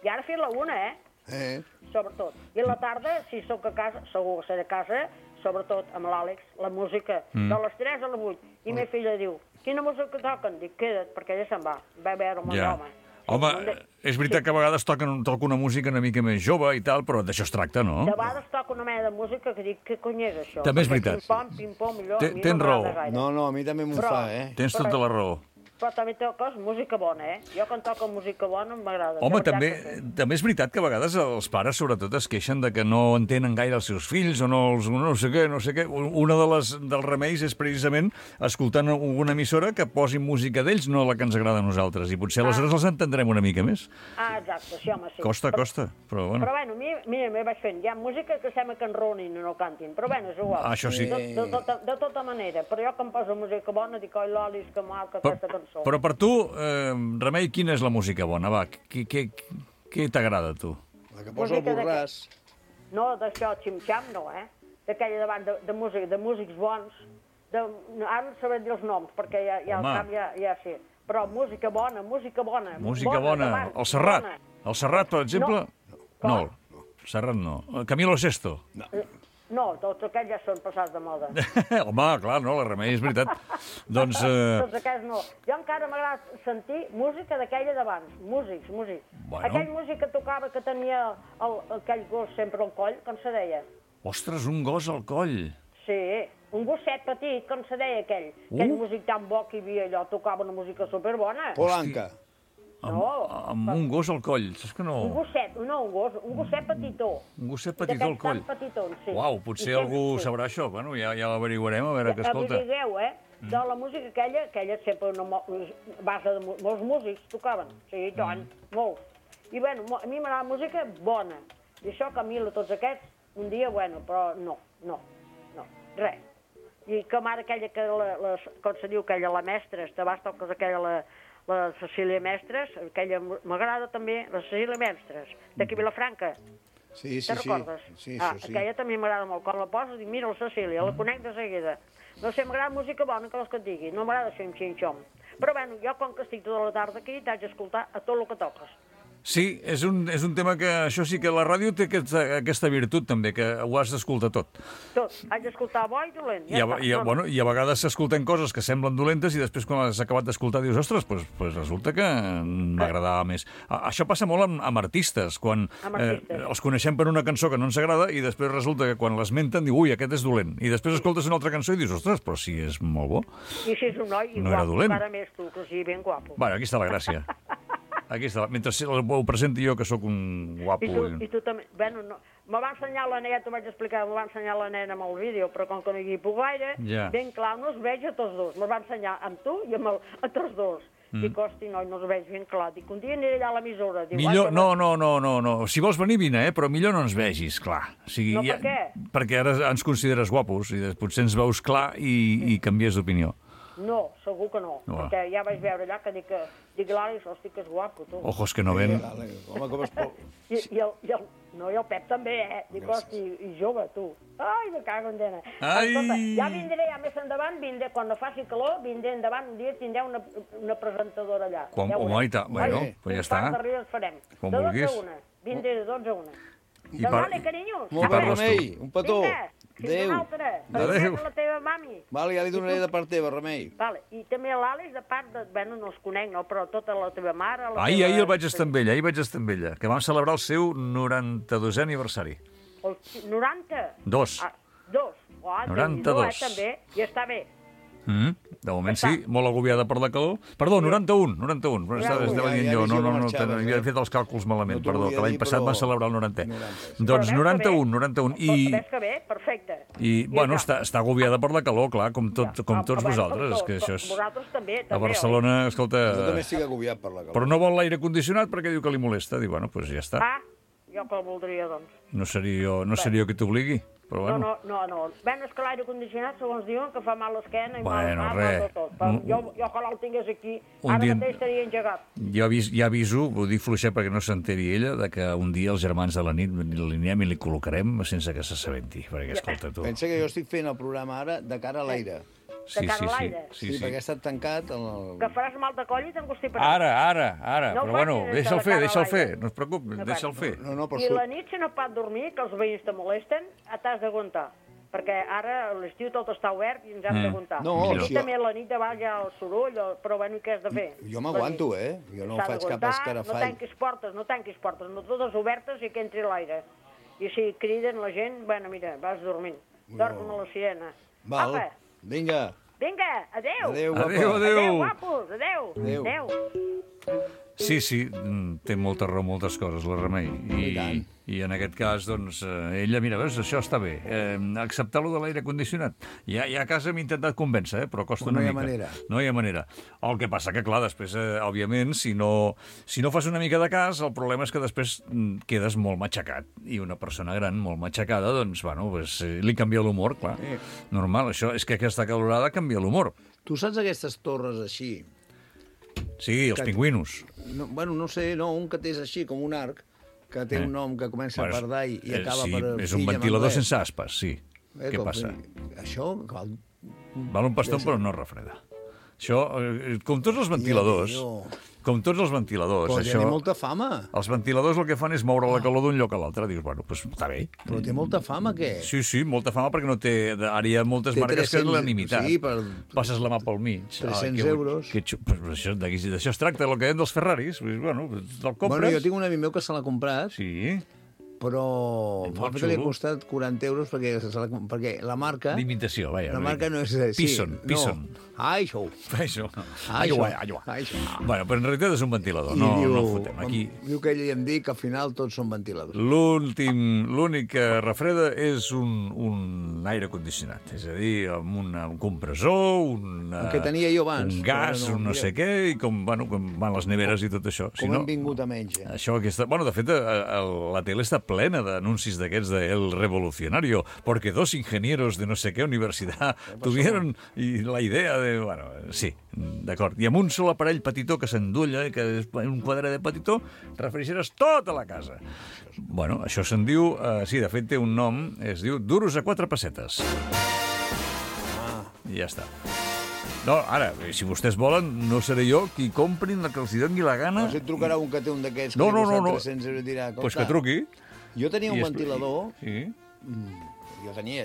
I ara fer la una, sobretot. I a la tarda, si sóc a casa, segur que seré a casa, sobretot amb l'Àlex, la música de les 3 a les 8. I ma filla diu, quina música toquen? Dic, queda't, perquè ella se'n va a veure amb el home. Home, és veritat que a vegades toca una música una mica més jove i tal, però d'això es tracta, no? De vegades toca una mena de música que dic, què cony és això? També és veritat. Pim-pom, allò, Tens raó. No, a mi també m'ho fa, Tens tota la raó. Però també toques música bona, Jo quan toco música bona m'agrada. Home, també és veritat que a vegades els pares sobretot es queixen de que no entenen gaire els seus fills o no sé què. Una dels remeis és precisament escoltant alguna emissora que posi música d'ells, no la que ens agrada a nosaltres. I potser aleshores els entendrem una mica més. Exacte, sí, home, sí. Costa, però bueno. Però bueno, mira, m'hi vaig fent. Hi ha música que sembla que enronin i no cantin, però bueno, és igual. Això sí. De tota manera. Però jo que em poso música bona dic, oi, l'Olis, que maca aquesta cançó. Però per tu, Remei, quina és la música bona? Va, què t'agrada a tu? La que posa el Borràs. No, d'això, xim-xam, no, D'aquella davant de músics bons. Ara no sabré dir els noms, perquè ja al cap ja sé. Però música bona. Música bona. El Serrat, per exemple? No, el Serrat no. Camilo Sesto? No, tots aquells ja són passats de moda. Home, clar, no, la Remei, és veritat. Doncs... Tots aquells no. Jo encara m'agrada sentir música d'aquella d'abans. Músics. Bueno. Aquell músic que tocava, que tenia aquell gos sempre al coll, com se deia? Ostres, un gos al coll. Sí, un gosset petit, com se deia aquell. Aquell músic tan bo que hi havia allò, tocava una música superbona. Polanca. Amb un gos al coll, saps que no? Un gosset petitó. Un gosset petitó al coll. Sí. Uau, potser algú sabrà això. Bueno, ja l'averiguarem, a veure què escolta. Averigueu, de la música aquella sempre una base de molts músics tocaven. Sí, tant, molts. I bueno, a mi m'agrada música bona. I això Camilo, tots aquests, un dia, bueno, però no, res. I com ara aquella que, com se diu, aquella la Mestres, t'abans toques aquella la Cecília Mestres, aquella m'agrada també, la Cecília Mestres, d'aquí Vilafranca. Sí. Te'n recordes? Sí. Aquella també m'agrada molt. Quan la poses, dic, mira la Cecília, la conec de seguida. No sé, m'agrada música bona, que vols que et digui. No m'agrada xim-xim-xom. Però bueno, jo com que estic tota la tarda aquí, t'haig d'escoltar a tot el que toques. Sí, és un tema que això sí que la ràdio té aquesta virtut també, que ho has d'escoltar tot. Tot, haig d'escoltar bo i dolent. I a vegades s'escolten coses que semblen dolentes i després quan has acabat d'escoltar dius, ostres, doncs resulta que m'agradava més. Això passa molt amb artistes, quan els coneixem per una cançó que no ens agrada i després resulta que quan l'esmenten diu, ui, aquest és dolent. I després escoltes una altra cançó i dius, ostres, però si és molt bo. I si és un noi, no era dolent. Encara més tu, que sigui ben guapo. Bueno, aquí està la gràcia. Aquí està, mentre ho presenti jo, que sóc un guapo. I tu també, bueno, me va ensenyar la nena, t'ho vaig explicar, me va ensenyar la nena amb el vídeo, però com que no hi puc gaire, ben clar, no els veig a tots dos. Me va ensenyar amb tu i a tots dos. Dic, hosti, no els veig ben clar. Dic, un dia aniré allà a l'emissora. Millor, no. Si vols venir, vine, però millor no ens vegis, clar. O sigui, no, per què? Perquè ara ens consideres guapos i potser ens veus clar i canvies d'opinió. No, segur que no, perquè ja vaig veure allà que dic l'Àlex, hosti, que és guapo, tu. Ojos que no ven. Home, com es pot... I el Pep també, Dic, hosti, i jove, tu. Ai, me cago en dena. Escolta, ja vindré, ja més endavant, quan no faci calor, vindré endavant, un dia tindreu una presentadora allà. Home, i tant, bueno, pues ja està. Un par de rides farem. Com vulguis. De 12 a 1, vindré de 12 a 1. Vale, carinyos. Molt bé, Remei, un petó. Adéu. Adéu. La teva mami. Vale, ja li donaré de part teva, Remei. Vale, i també l'Àlex, de part de... Bueno, no els conec, no, però tota la teva mare... Ahir el vaig estar amb ella, que vam celebrar el seu 92è aniversari. 90? 2. 92. També, i està bé. De moment sí, molt agobiada per la calor. Perdó, 91. Estava dient jo, no, havia fet els càlculs malament, perdó, que l'any passat va celebrar el 90è. Doncs 91. Ves que bé, perfecte. I, bueno, està agobiada per la calor, clar, com tots vosaltres. Vosaltres també. A Barcelona, escolta... Jo també estic agobiat per la calor. Però no vol l'aire condicionat perquè diu que li molesta. Diu, bueno, doncs ja està. Jo que el voldria, doncs. No seria jo qui t'obligui. Però bueno. No. Bueno, és que l'aire condicionat, segons diuen, que fa mal l'esquena i mal tot. Jo que el tingués aquí, ara mateix estaria engegat. Jo ja aviso, ho dic fluixet perquè no s'enteri ella, que un dia els germans de la nit l'anirem i li col·locarem sense que s'assabenti. Perquè, escolta, tu... Pensa que jo estic fent el programa ara de cara a l'aire. Sí, perquè ha estat tancat... Que faràs mal de coll i t'engostiparàs. Ara. Però bueno, deixa'l fer, no es preocupi, deixa'l fer. I la nit, si no pot dormir, que els veïns te molesten, t'has d'aguantar. perquè ara a l'estiu tot està obert i ens hem d'aguantar. No, Aquí sí. també a la nit de baix hi ha el soroll, però bueno, què has de fer? Jo m'aguanto, Jo no faig cap escarafall. No tanquis portes, no totes obertes i que entri l'aire. I si criden la gent, bueno, mira, vas dormint. Dorm com a la sirena. Val, Apa, vinga. vinga, adéu. Adéu, guapa. Adéu, adéu. Adéu, guapos, adéu. Adéu. Adéu. Sí, té molta raó, moltes coses, la Remei. I tant. I en aquest cas, doncs, ella, mira, veus, això està bé. Acceptar-lo de l'aire condicionat. Ja a casa m'he intentat convèncer, però costa una mica. No hi ha manera. El que passa que, clar, després, òbviament, si no fas una mica de cas, el problema és que després quedes molt matxacat. I una persona gran, molt matxacada, doncs, bueno, li canvia l'humor, clar. Normal, això és que aquesta calorada canvia l'humor. Tu saps aquestes torres així? Sí, els pingüinos. No, bueno, no sé, un que té així, com un arc, que té un nom que comença per Dai i acaba per... Sí, és un ventilador sense aspes, sí. Què passa? Això... Val un paston, però no refreda. Això, com tots els ventiladors... Com tots els ventiladors, però això... té molta fama. Els ventiladors el que fan és moure la calor d'un lloc a l'altre. Dius, bueno, doncs està bé. Però té molta fama, què? Sí, molta fama perquè no té... Ara hi ha moltes marques que l'han imitat. Sí, passes la mà pel mig. 300 euros. D'això es tracta, el que deien dels Ferraris. Bueno, te'l compres... Bueno, jo tinc un amic meu que se l'ha comprat. Sí. Però li ha costat 40 euros perquè la marca... D'imitació, vaja. La marca no és... Pison. Això. Bueno, però en realitat és un ventilador, no fotem. Aquí... Diu que ell i em dic que al final tots són ventiladors. L'únic que refreda és un aire condicionat, és a dir, amb un compressor, el que tenia jo abans. Un gas, un no sé què, i com van les neveres i tot això. Com hem vingut a menys. Això, bueno, de fet, la tele està plena d'anuncis d'aquests de El Revolucionario, porque 2 ingenieros de no sé qué universidad tuvieron la idea de... Bueno, sí, d'acord. I amb un sol aparell petitó que s'endulla, que és un quadre de petitó, refrigerares tota la casa. Bueno, això se'n diu... sí, de fet té un nom, es diu duros a 4 pessetes. I ja està. No, ara, si vostès volen, no seré jo qui comprin la que els doni la gana. No sé, et trucarà un que té un d'aquests que no. 300 euros i dirà... Pues que truqui. Jo tenia un ventilador... Sí.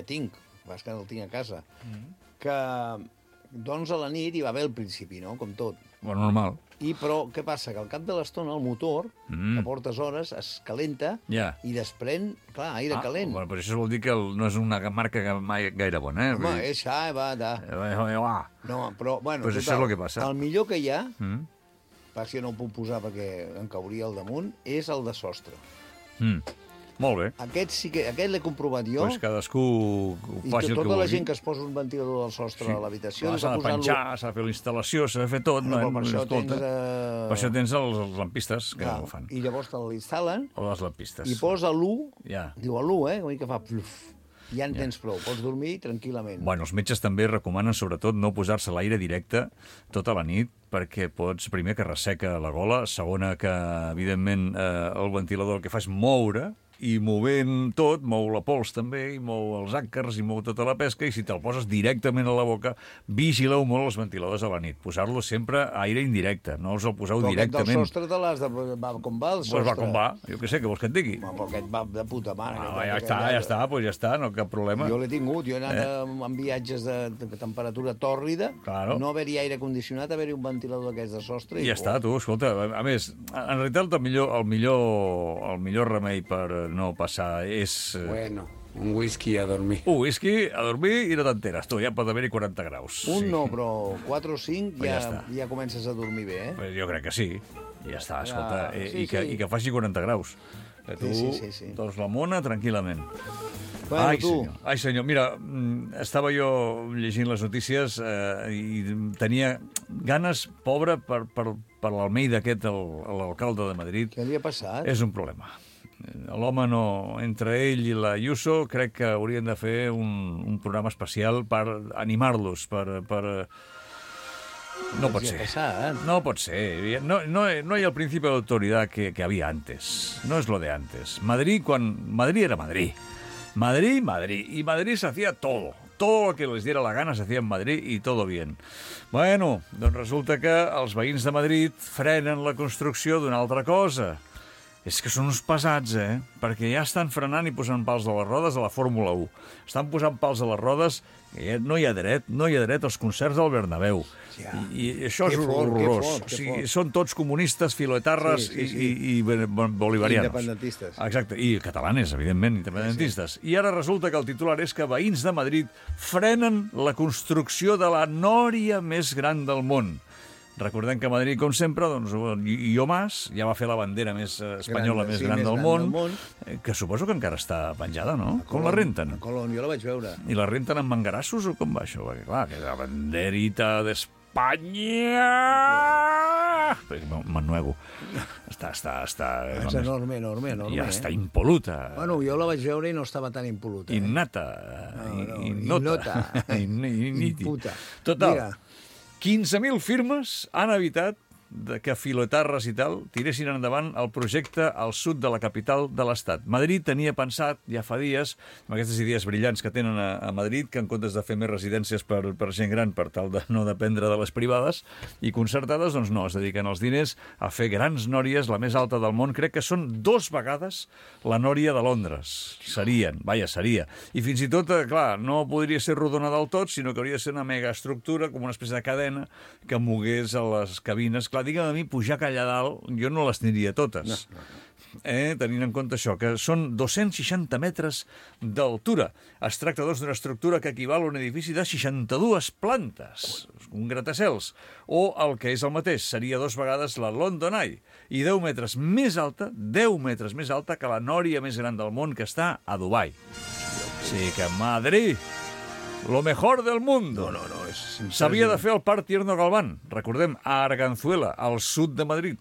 Tinc, vas que el tinc a casa, que doncs a la nit hi va haver al principi, no?, com tot. Bueno, normal. Però què passa? Que al cap de l'estona el motor, que portes hores, es calenta i desprèn, clar, aire calent. Bueno, però això vol dir que no és una marca gaire bona, Home, és No, però, bueno, pues això és el que passa. El millor que hi ha, pas que no ho puc posar perquè em cauria al damunt, és el de sostre. Molt bé. Aquest l'he comprovat jo. Doncs cadascú faci el que vulgui. I tota la gent que es posa un ventilador al sostre a l'habitació... S'ha de penjar, s'ha de fer la instal·lació, s'ha de fer tot. Per això tens els lampistes que ho fan. I llavors te l'instal·len. O les lampistes. I posa l'1, diu l'1, que fa pluf. Ja en tens prou, pots dormir tranquil·lament. Bueno, els metges també recomanen, sobretot, no posar-se l'aire directe tota la nit, perquè pots, primer, que resseca la gola, segona, que, evidentment, el ventilador el que fa és moure, i movent tot, mou la pols també, i mou els àcars, i mou tota la pesca, i si te'l poses directament a la boca, vigileu molt els ventiladors a la nit. Posar-lo sempre a aire indirecte, no els el poseu directament. Però aquest del sostre te l'has de... Va com va el sostre? Pues va com va, jo què sé, què vols que et digui? Però aquest va de puta mare. Ja està, no cap problema. Jo l'he tingut, jo he anat en viatges de temperatura tòrrida, no haver-hi aire condicionat, haver-hi un ventilador d'aquests de sostre... I ja està, tu, escolta, a més, en realitat el millor remei per no passar és... Bueno, un whisky a dormir. Un whisky a dormir i no t'enteres, tu, ja pot haver-hi 40 graus. No, però 4 o 5 ja comences a dormir bé, eh? Pues jo crec que sí, ja està, escolta, i que faci 40 graus. Que tu doncs la mona tranquil·lament. Ai, senyor, mira, estava jo llegint les notícies i tenia ganes, pobre, per l'Almeida aquest, l'alcalde de Madrid. Què li ha passat? És un problema. L'home no... Entre ell i la Ayuso crec que haurien de fer un programa especial per animar-los, No pot ser. No pot ser. No hay el principio de autoridad que había antes. No es lo de antes. Madrid era Madrid. Madrid. Y Madrid se hacía todo. Todo lo que les diera la gana se hacía en Madrid y todo bien. Bueno, doncs resulta que els veïns de Madrid frenen la construcció d'una altra cosa. És que són uns pesats, perquè ja estan frenant i posant pals a les rodes a la Fórmula 1. Estan posant pals a les rodes, que no hi ha dret als concerts del Bernabéu. Ja. I això és horrorós. Són tots comunistes, filoetarres i bolivarianos. Independentistes. Exacte, i catalanes, evidentment, independentistes. Sí. I ara resulta que el titular és que veïns de Madrid frenen la construcció de la nòria més gran del món. Recordem que a Madrid, com sempre, doncs, Illo Mas ja va fer la bandera més espanyola més gran del món, que suposo que encara està penjada, no? Com la renten? A Colón, jo la vaig veure. I la renten amb mangarassos o com va això? Perquè, clar, que la banderita d'Espanya... M'ennuego. Està... És enorme. Ja està impol·luta. Bueno, jo la vaig veure i no estava tan impol·luta. Innata. Innota. Imputa. Total. 15.000 firmes han evitat que filoetarres i tal tiressin endavant el projecte al sud de la capital de l'Estat. Madrid tenia pensat, ja fa dies, amb aquestes idees brillants que tenen a Madrid, que en comptes de fer més residències per gent gran per tal de no dependre de les privades i concertades, doncs no, es dediquen els diners a fer grans nòries, la més alta del món. Crec que són 2 vegades la nòria de Londres. Seria. I fins i tot, clar, no podria ser rodona del tot, sinó que hauria de ser una megaestructura, com una espècie de cadena, que mogués a les cabines. Clar, digue'm a mi, pujar allà dalt, jo no les aniria totes. No. Tenint en compte això, que són 260 metres d'altura. Es tracta, doncs, d'una estructura que equival a un edifici de 62 plantes, un gratacels, o el que és el mateix, seria 2 vegades la London Eye, i 10 metres més alta que la nòria més gran del món, que està a Dubai. Sí que Madrid... Lo mejor del mundo. No. S'havia de fer el Parc Tierno Galván, recordem, a Arganzuela, al sud de Madrid,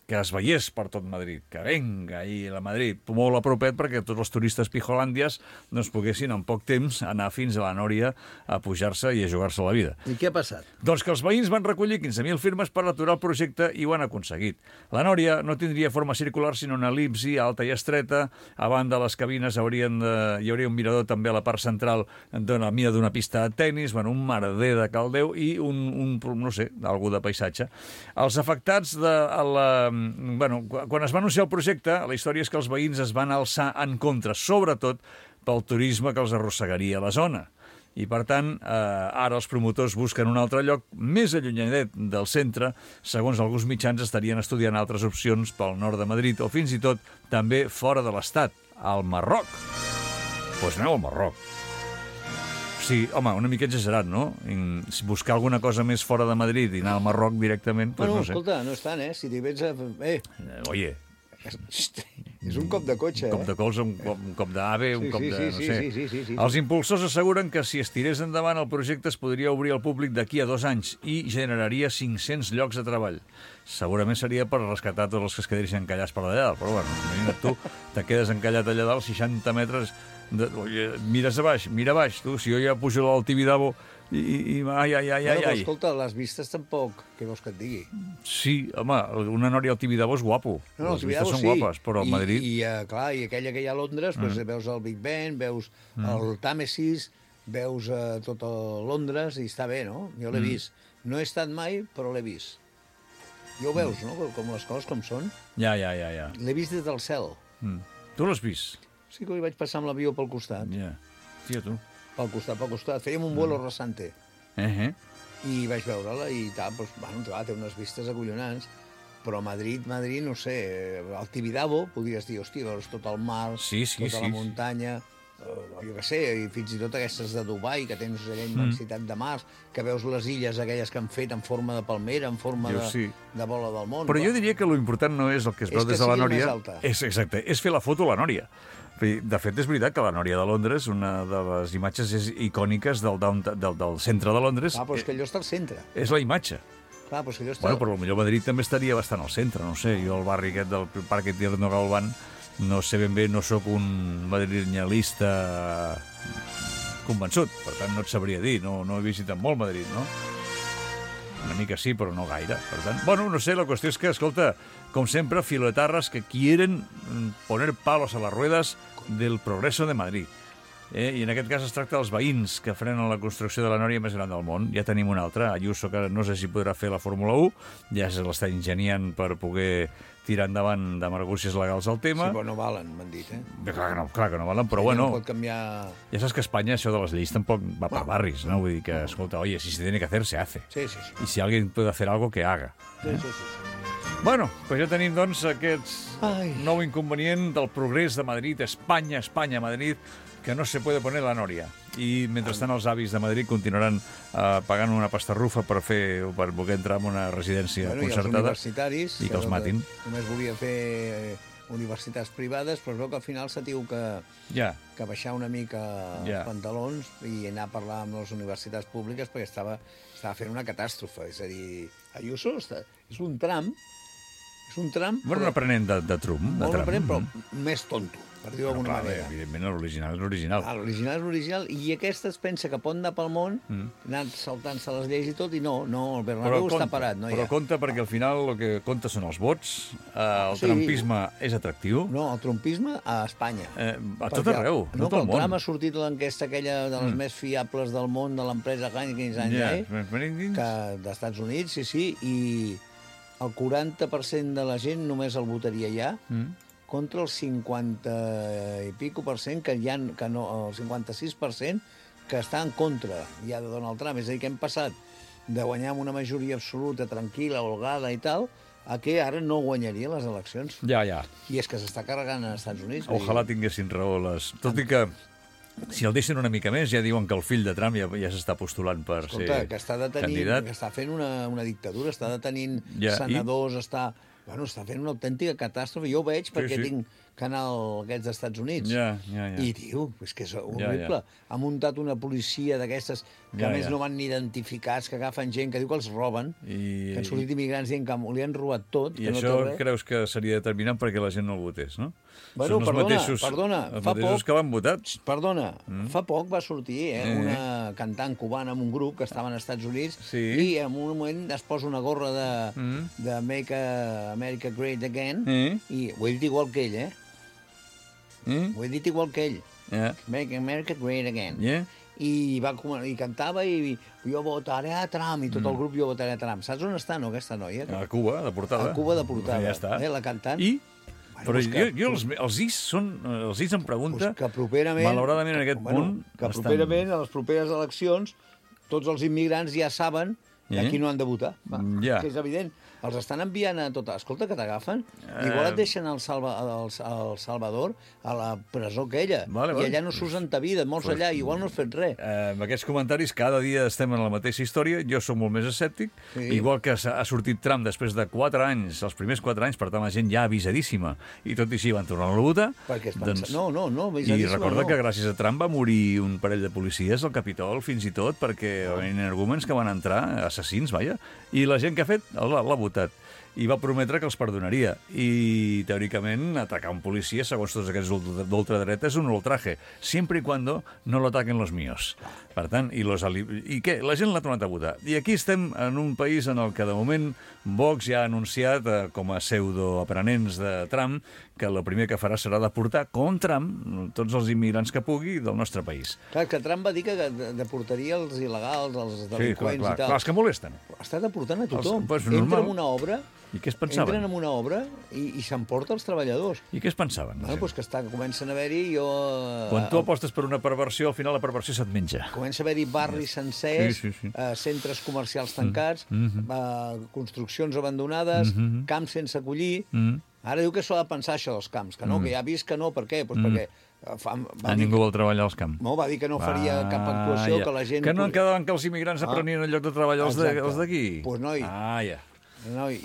que es veiés per tot Madrid, que venga ahí a Madrid, molt a propet perquè tots els turistes pijolàndies doncs poguessin en poc temps anar fins a la nòria a pujar-se i a jugar-se la vida. I què ha passat? Doncs que els veïns van recollir 15.000 firmes per aturar el projecte i ho han aconseguit. La nòria no tindria forma circular sinó una elipsi alta i estreta. A banda les cabines hi hauria un mirador també a la part central de la mida d'una pista de tennis, un merder de caldeu i no sé, algú de paisatge. Els afectats quan es va anunciar el projecte, la història és que els veïns es van alçar en contra, sobretot pel turisme que els arrossegaria a la zona. I, per tant, ara els promotors busquen un altre lloc més allunyadet del centre. Segons alguns mitjans, estarien estudiant altres opcions pel nord de Madrid o fins i tot també fora de l'Estat, al Marroc. Doncs aneu al Marroc. Sí, home, una mica exagerat, no? Buscar alguna cosa més fora de Madrid i anar al Marroc directament, doncs no sé. Escolta, no és tant, Si t'hi vens a... Oye... És un cop de cotxe, Un cop de colze, un cop d'AVE, un cop de... no sé. Sí. Els impulsors asseguren que si es tirés endavant el projecte es podria obrir al públic d'aquí a 2 anys i generaria 500 llocs de treball. Segurament seria per rescatar tots els que es quedessin encallats per allà dalt, però bueno, imagina't tu, te quedes encallat allà dalt 60 metres... Mira baix, tu, si jo ja pujo al Tibidabo i ai. Però escolta, les vistes tampoc, què vols que et digui? Sí, home, una nòria al Tibidabo és guapo. No, les vistes són guapes, però a Madrid... I aquella que hi ha a Londres, veus el Big Ben, veus el Tàmesis, veus tot Londres, i està bé, no? Jo l'he vist. No he estat mai, però l'he vist. Ja ho veus, no? Com les coses com són. Ja. L'he vist des del cel. Tu l'has vist? Sí que hi vaig passar amb l'avió pel costat. Ja, tia, tu. Pel costat. Fèiem un vuelo rasante. I vaig veure-la i tal, té unes vistes acollonants. Però Madrid, no sé, al Tibidabo podries dir, hòstia, veus tot el mar, tota la muntanya... jo què sé, i fins i tot aquestes de Dubai, que tens aquella immensitat de mars, que veus les illes aquelles que han fet en forma de palmera, en forma de bola del món. Però jo diria que l'important no és el que es veu des de la nòria. Exacte, és fer la foto a la nòria. De fet, és veritat que la nòria de Londres, una de les imatges icòniques del centre de Londres... Però és que allò està al centre. És la imatge. Clar, però és que allò està... Bueno, però potser Madrid també estaria bastant al centre, no sé. Jo al barri aquest del Parc Tierno Galván no sé ben bé, no sóc un madrillenista convençut, per tant no et sabria dir, no he visitat molt Madrid, no? Una mica sí, però no gaire, per tant... Bueno, no sé, la qüestió és que, escolta, com sempre, filoetarras que quieren poner palos a las ruedas del progreso de Madrid. I en aquest cas es tracta dels veïns que frenen la construcció de la nòria més gran del món. Ja tenim una altra, Ayuso, que no sé si podrà fer la Fórmula 1, ja se l'està ingeniant per poder tirar endavant d'emergències legals al tema. Sí, però no valen, m'han dit, Clar que no valen, però bueno... No pot canviar... Ja saps que a Espanya això de les lleis tampoc va per barris, no? Vull dir que, escolta, oye, si se tiene que hacer, se hace. Sí. Y si alguien puede hacer algo, que haga. Sí. Bueno, pues ja tenim, doncs, aquest nou inconvenient del progrés de Madrid, Espanya, Madrid, que no se puede poner la nòria. I, mentrestant, els avis de Madrid continuaran pagant una pastarrufa per poder entrar en una residència concertada. I els universitaris... I que els matin. Només volia fer universitats privades, però es veu que al final s'ha tingut que baixar una mica els pantalons i anar a parlar amb les universitats públiques perquè estava fent una catàstrofe. És a dir, Ayuso és un tram... Bueno, un aprenent de Trump. Un aprenent, però més tonto, per dir-ho d'alguna manera. Evidentment, l'original és l'original. L'original és l'original, i aquesta es pensa que pot anar pel món, anant saltant-se les lleis i tot, i no, el Bernabéu està parat. Però compta, perquè al final el que compta són els vots, el trumpisme és atractiu. No, el trumpisme a Espanya. A tot arreu, a tot el món. El Trump ha sortit l'enquesta aquella de les més fiables del món, de l'empresa Heineken, d'Estats Units, sí, i el 40% de la gent només el votaria ja, contra el 50 i pico per cent que no, el 56% que està en contra ja de Donald Trump. És a dir, que hem passat de guanyar amb una majoria absoluta, tranquil·la, holgada i tal, a que ara no guanyaria les eleccions. Ja. I és que s'està carregant als Estats Units. Ojalà tinguessin raó les... Tot i que si el deixen una mica més, ja diuen que el fill de Trump ja s'està postulant per ser candidat. Que està fent una dictadura, està detenint senadors, està fent una autèntica catàstrofe. Jo ho veig perquè tinc canal aquests dels Estats Units. I, tio, és que és horrible. Ha muntat una policia d'aquestes que a més no van ni identificats, que agafen gent, que diu que els roben, que han sortit immigrants dient que li han robat tot. I això creus que seria determinant perquè la gent no el votés, no? Bueno, perdona, els mateixos que l'han votat. Perdona, fa poc va sortir una cantant cubana amb un grup que estava als Estats Units i en un moment es posa una gorra de Make America Great Again i ho he dit igual que ell, Ho he dit igual que ell. Make America Great Again. I cantava i jo votaré a Trump, i tot el grup jo votaré a Trump. Saps on està, no, aquesta noia? A Cuba, de portada. A Cuba, de portada. Ja està. La cantant. I? Però jo els is em pregunta, malauradament en aquest punt... Que properament, a les properes eleccions, tots els immigrants ja saben a qui no han de votar. Que és evident. Els estan enviant a tot... Escolta, que t'agafen. Igual et deixen al Salvador, a la presó aquella. I allà no surts ta vida, molts allà, igual no has fet res. Amb aquests comentaris, cada dia estem en la mateixa història. Jo soc molt més escèptic. Igual que ha sortit Trump després de 4 anys, els primers 4 anys, per tant, la gent ja avisadíssima. I tot i així van tornar a votar. No, avisadíssima. I recorda que gràcies a Trump va morir un parell de policies al Capitol, fins i tot, perquè en arguments que van entrar, assassins, vaja, i la gent que ha fet l'ha votat. I va prometre que els perdonaria. I, teòricament, atacar un policia, segons tots aquests d'ultradreta, és un ultraje, sempre i cuando no lo ataquen los míos. Per tant, i què? La gent l'ha tornat a votar. I aquí estem en un país en el que, de moment, Vox ja ha anunciat, com a pseudoaprenents de Trump, que el primer que farà serà deportar com Trump tots els immigrants que pugui del nostre país. Clar, que Trump va dir que deportaria els il·legals, els delinqüents i tal. Clar, els que molesten. Està deportant a tothom. Entra en una obra... I què es pensaven? Entren en una obra i s'emporta els treballadors. I què es pensaven? Doncs que comencen a haver-hi... Quan tu apostes per una perversió, al final la perversió se't menja. Comença a haver-hi barris sencers, centres comercials tancats, construccions abandonades, camps sense acollir... Ara diu que s'ho ha de pensar, això, dels camps, que no, que ja ha vist que no, per què? Perquè... Ningú vol treballar als camps. No, va dir que no faria cap actuació, que la gent... Que no en quedaven que els immigrants aprenien en lloc de treballar els d'aquí? Doncs noi.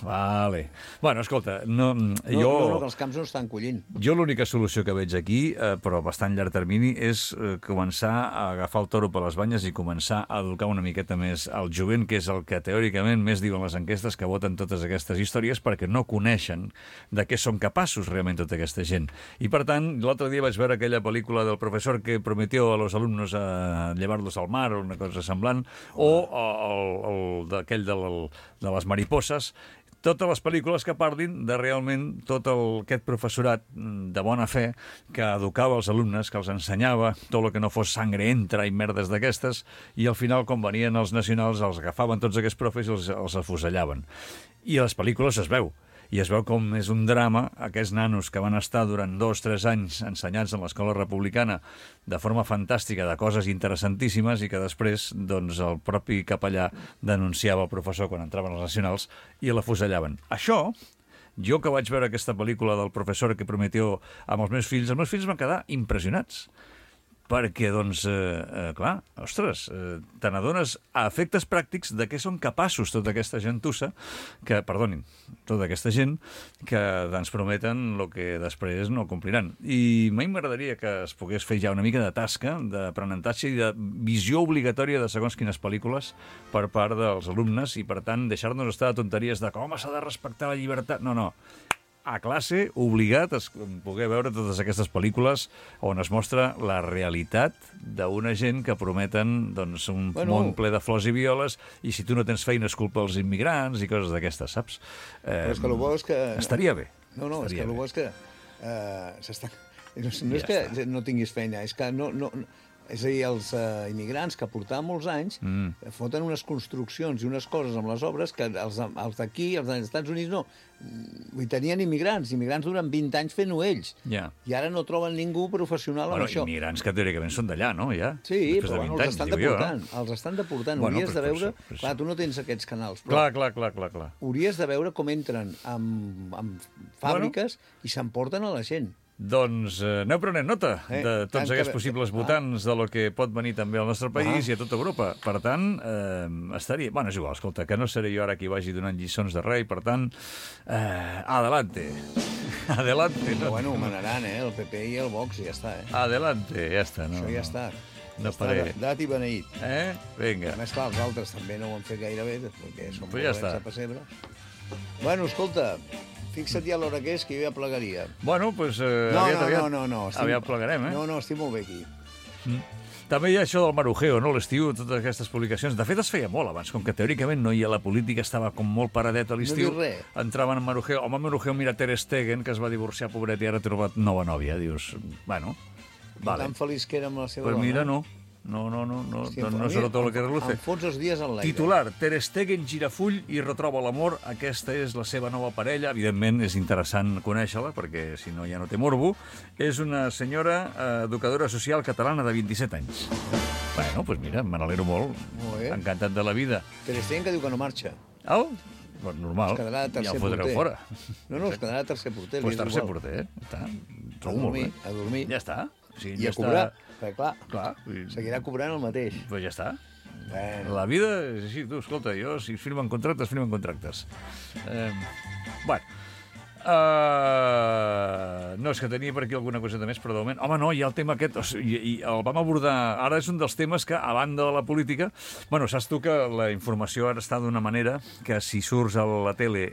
Vale. Bueno, escolta, que els camps no estan collint. Jo l'única solució que veig aquí, però a bastant llarg termini, és començar a agafar el toro per les banyes i començar a educar una miqueta més al jovent, que és el que teòricament més diuen les enquestes que voten totes aquestes històries, perquè no coneixen de què són capaços realment tota aquesta gent. I per tant, l'altre dia vaig veure aquella pel·lícula del professor que prometió a los alumnos a llevar-los al mar o una cosa semblant, o aquell de les mariposas. totes les pel·lícules que parlin de realment tot aquest professorat de bona fe que educava els alumnes, que els ensenyava tot el que no fos sangre entra i merdes d'aquestes, i al final, quan venien els nacionals, els agafaven tots aquests profes i els afusellaven. I a les pel·lícules es veu. I es veu com és un drama, aquests nanos que van estar durant 2-3 anys ensenyats en l'escola republicana de forma fantàstica, de coses interessantíssimes, i que després doncs, el propi capellà denunciava el professor quan entraven els nacionals i l'afusellaven. Això, jo que vaig veure aquesta pel·lícula del professor que prometió amb els meus fills van quedar impressionats. Perquè, doncs, clar, ostres, te n'adones a efectes pràctics de què són capaços tota aquesta gentussa, tota aquesta gent que ens prometen el que després no compliran. I a mi m'agradaria que es pogués fer ja una mica de tasca, d'aprenentatge i de visió obligatòria de segons quines pel·lícules per part dels alumnes i, per tant, deixar-nos estar de tonteries de com s'ha de respectar la llibertat. No. A classe, obligat a poder veure totes aquestes pel·lícules on es mostra la realitat d'una gent que prometen doncs, un món ple de flors i violes, i si tu no tens feina és culpa dels immigrants i coses d'aquestes, saps? Però és que el bo és que... Estaria bé. No, és que el bo és que s'està... No és que no tinguis feina, és que no... És a dir, els immigrants que portaven molts anys foten unes construccions i unes coses amb les obres que els d'aquí, els dels Estats Units, no. Tenien immigrants duren 20 anys fent-ho ells. I ara no troben ningú professional amb això. Immigrants que teòricament són d'allà, no? Ja? Sí, però els estan deportant. Els estan deportant. Hauries de veure... Clar, tu no tens aquests canals. Clar. Hauries de veure com entren en fàbriques i s'emporten a la gent. Doncs aneu prenent nota de tots aquests possibles votants de lo que pot venir també al nostre país i a tota Europa. Per tant, estaria... Bueno, és igual, escolta, que no seré jo ara qui vagi donant lliçons de res, per tant, adelante. Adelante. Però bueno, ho manaran, el PP i el Vox, i ja està, Adelante, ja està. Això ja està. No faré. Dat i beneït. Vinga. A més, clar, els altres també no ho han fet gaire bé, perquè són molt lents a pessebre. Bueno, escolta... Fixa't ja l'hora que és, que jo ja plegaria. Bueno, doncs aviat plegarem, No, estic molt bé aquí. També hi ha això del marujeo, no? L'estiu, totes aquestes publicacions. De fet, es feia molt abans, com que teòricament no hi ha la política, estava com molt paradet a l'estiu. No dius res. Entraven en marujeo. Home, marujeo, mira Ter Stegen, que es va divorciar, pobret, i ara ha trobat nova nòvia. Dius, bueno, vale. Tan feliç que era amb la seva dona. Pues mira, no serà tot el que reluce. Em fots els dies en l'aire. Titular, Ter Stegen gira full i retroba l'amor. Aquesta és la seva nova parella. Evidentment, és interessant conèixer-la, perquè si no ja no té morbo. És una senyora educadora social catalana de 27 anys. Bueno, doncs mira, me n'alegro molt. Encantat de la vida. Ter Stegen que diu que no marxa. Doncs normal, ja el fotreu fora. No, es quedarà tercer porter. Doncs tercer porter, està. Trobo molt bé. A dormir. Ja està. I a cobrar. Perquè, clar, seguirà cobrant el mateix. Doncs ja està. La vida és així, tu, escolta, jo, si firmen contractes, firmen contractes. Bueno, no, és que tenia per aquí alguna coseta més, però de moment... Home, no, hi ha el tema aquest, i el vam abordar... Ara és un dels temes que, a banda de la política... Bueno, saps tu que la informació ara està d'una manera que si surts a la tele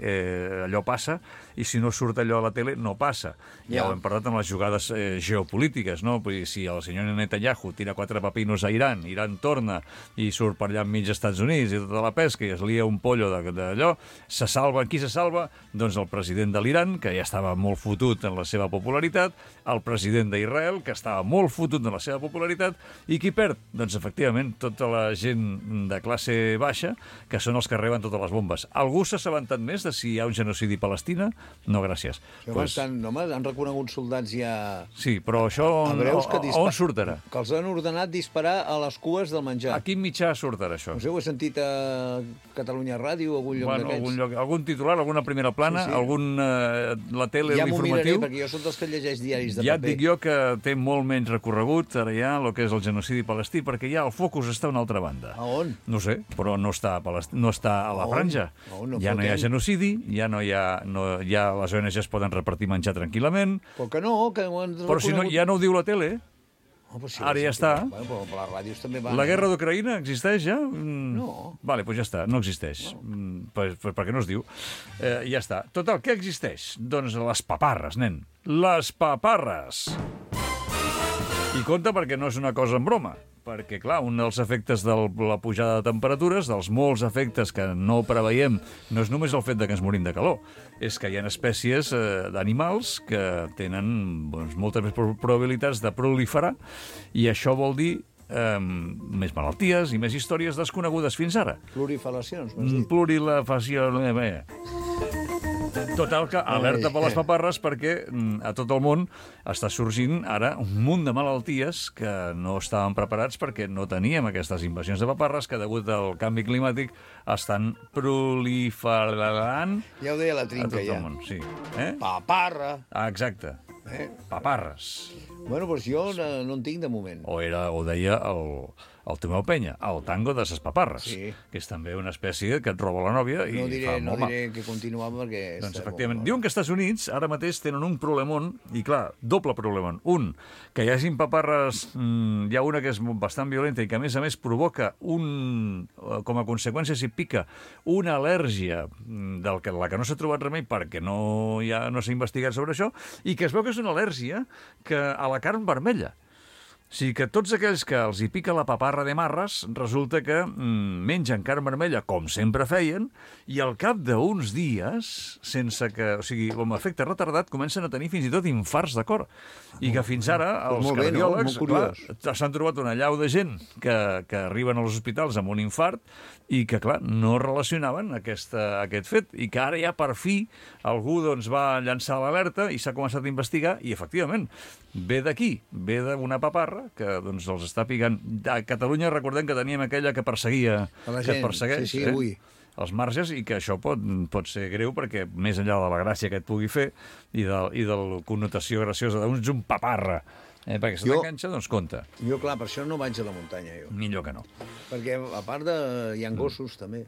allò passa, i si no surt allò a la tele no passa. Ja ho hem parlat amb les jugades geopolítiques, no? Si el senyor Netanyahu tira 4 pepinos a Iran, Iran torna i surt per allà enmig dels Estats Units i tota la pesca i es lia un pollo d'allò, se salva. Qui se salva? Doncs el president de l'Iran, que ja estava molt fotut en la seva popularitat, el president d'Israel, que estava molt fotut en la seva popularitat, i qui perd? Doncs, efectivament, tota la gent de classe baixa, que són els que reben totes les bombes. Algú s'ha assabentat més de si hi ha un genocidi a Palestina? No, gràcies. Han reconegut soldats ja... Sí, però això on surt ara? Que els han ordenat disparar a les cues del menjar. A quin mitjà surt ara, això? No sé, ho he sentit a Catalunya Ràdio, algun lloc d'aquests. Algun titular, alguna primera plana, la tele, l'informatiu... Ja m'ho miraré, perquè jo soc dels que llegeix diaris de paper. Ja et dic jo que té molt menys recorregut, ara ja, el que és el genocidi palestí, perquè ja el focus està a una altra banda. A on? No sé, però no està a la franja. Ja no hi ha genocidi, ja no hi ha... Les ONGs poden repartir menjar tranquil·lament. Però que no, que ho han reconegut. Però si no, ja no ho diu la tele. Ara ja està. Però les ràdios també van... La guerra d'Ucraïna existeix ja? No. Vale, doncs ja està, no existeix. Per què no es diu? Ja està. Total, què existeix? Doncs les paparres, nen. Les paparres! I compte perquè no és una cosa en broma, perquè, clar, un dels efectes de la pujada de temperatures, dels molts efectes que no preveiem, no és només el fet de que ens morim de calor, és que hi ha espècies d'animals que tenen moltes més probabilitats de proliferar, i això vol dir més malalties i més històries desconegudes fins ara. Plurifalacions, m'has dit. Plurifació... Total, que alerta per les paparres, perquè a tot el món està sorgint ara un munt de malalties que no estàvem preparats perquè no teníem aquestes invasions de paparres que, degut al canvi climàtic, estan proliferant Ja ho deia la a Trinca, tot ja. el món. Sí. Paparra! Exacte. Paparres. Bueno, doncs jo no en tinc de moment. O deia el Tomeu Penya, el tango de ses paparres, Sí. que és també una espècie que et roba la nòvia i fa No molt mal. diré que continuava perquè... Doncs, efectivament, diuen que als Estats Units ara mateix tenen un problemón, i clar, doble problemón. Un, que hi hagin paparres, hi ha una que és bastant violenta i que, a més, provoca com a conseqüència, si pica, una al·lèrgia la que no s'ha trobat remei perquè no s'ha investigat sobre això, i que es veu que és una al·lèrgia a la carn vermella. O sigui que tots aquells que els hi pica la paparra de marres, resulta que mengen carn vermella, com sempre feien, i al cap d'uns dies, sense que... O sigui, amb efecte retardat, comencen a tenir fins i tot infarts de cor. I que fins ara els cardiòlegs s'han trobat una llau de gent que arriben als hospitals amb un infart i que, clar, no relacionaven aquest fet. I que ara ja, per fi, algú va llançar l'alerta i s'ha començat a investigar i, efectivament, ve d'aquí, ve d'una paparra que els està picant. A Catalunya recordem que teníem aquella que perseguia, que et persegueix, els marges, i que això pot ser greu perquè, més enllà de la gràcia que et pugui fer i de la connotació graciosa d'uns un paparra, perquè se t'enganxa, doncs compte. Jo, clar, per això no vaig a la muntanya, jo. Millor que no. Perquè, a part hi ha gossos, també.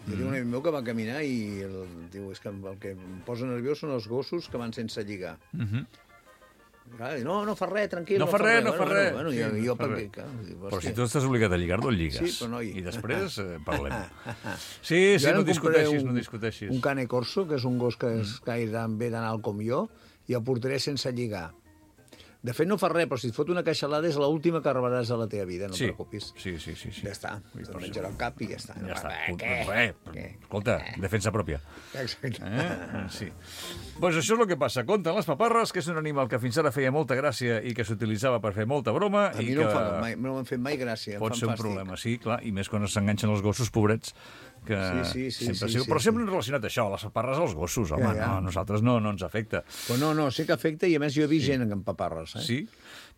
Jo tinc un amic meu que va caminar i diu, és que el que em posa nerviós són els gossos que van sense lligar. No fa res, tranquil. No fa res. Bueno, jo perquè... Però si tu estàs obligat a lligar-lo, el lligues. Sí, però no I després parlem. Sí, no discuteixis. Un cane corso, que és un gos que és gaire bé d'anar com jo, i el portaré sense lligar. De fet, no fa res, però si et fot una queixalada és l'última que rebràs a la teva vida, no et preocupis. Sí. Ja està, te'l menjarà al cap i ja està. Ja està. Escolta, defensa pròpia. Exacte. Sí. Doncs això és el que passa. Compten les paparres, que és un animal que fins ara feia molta gràcia i que s'utilitzava per fer molta broma. A mi no m'han fet mai gràcia, em fan fàstic. Pot ser un problema, sí, clar, i més quan s'enganxen els gossos, pobrets, que sempre sempre han relacionat això, les paparres als gossos, home, no, a nosaltres no ens afecta. Però no, sé que afecta, i a més jo he vist gent amb paparres. Sí?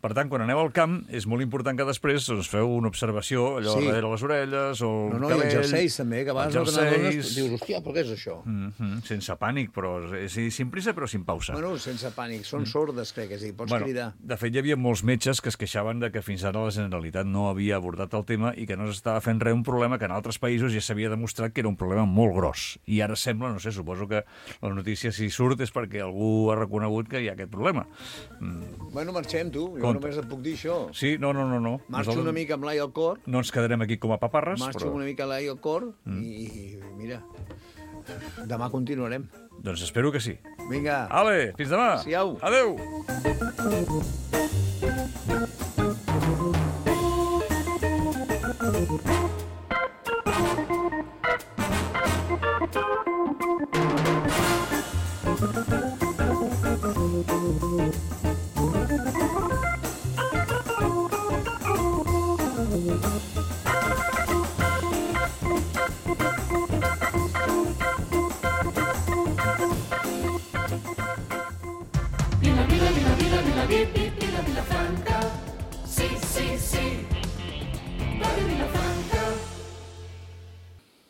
Per tant, quan aneu al camp, és molt important que després feu una observació allò darrere les orelles o el cabell. No, i els jerseis també, que a vegades no te n'adones, dius, hòstia, però què és això? Sense pànic, però sin prisa però sin pausa. Bueno, sense pànic, són sordes, crec, és a dir, pots cridar. De fet, hi havia molts metges que es queixaven de que fins ara la Generalitat no havia abordat el tema i que no s'estava fent res, un problema que en altres països ja s'havia demostrat que era un problema molt gros. I ara sembla, no sé, suposo que la notícia si surt és perquè algú ha reconegut que hi ha aquest problema. Bueno, marxem, tu. Jo només et puc dir això. Sí, no. Marxo una mica amb l'ai al cor. No ens quedarem aquí com a paparres. Marxo una mica l'ai al cor i mira, demà continuarem. Doncs espero que sí. Vinga. Ale, fins demà. Siau. Adéu.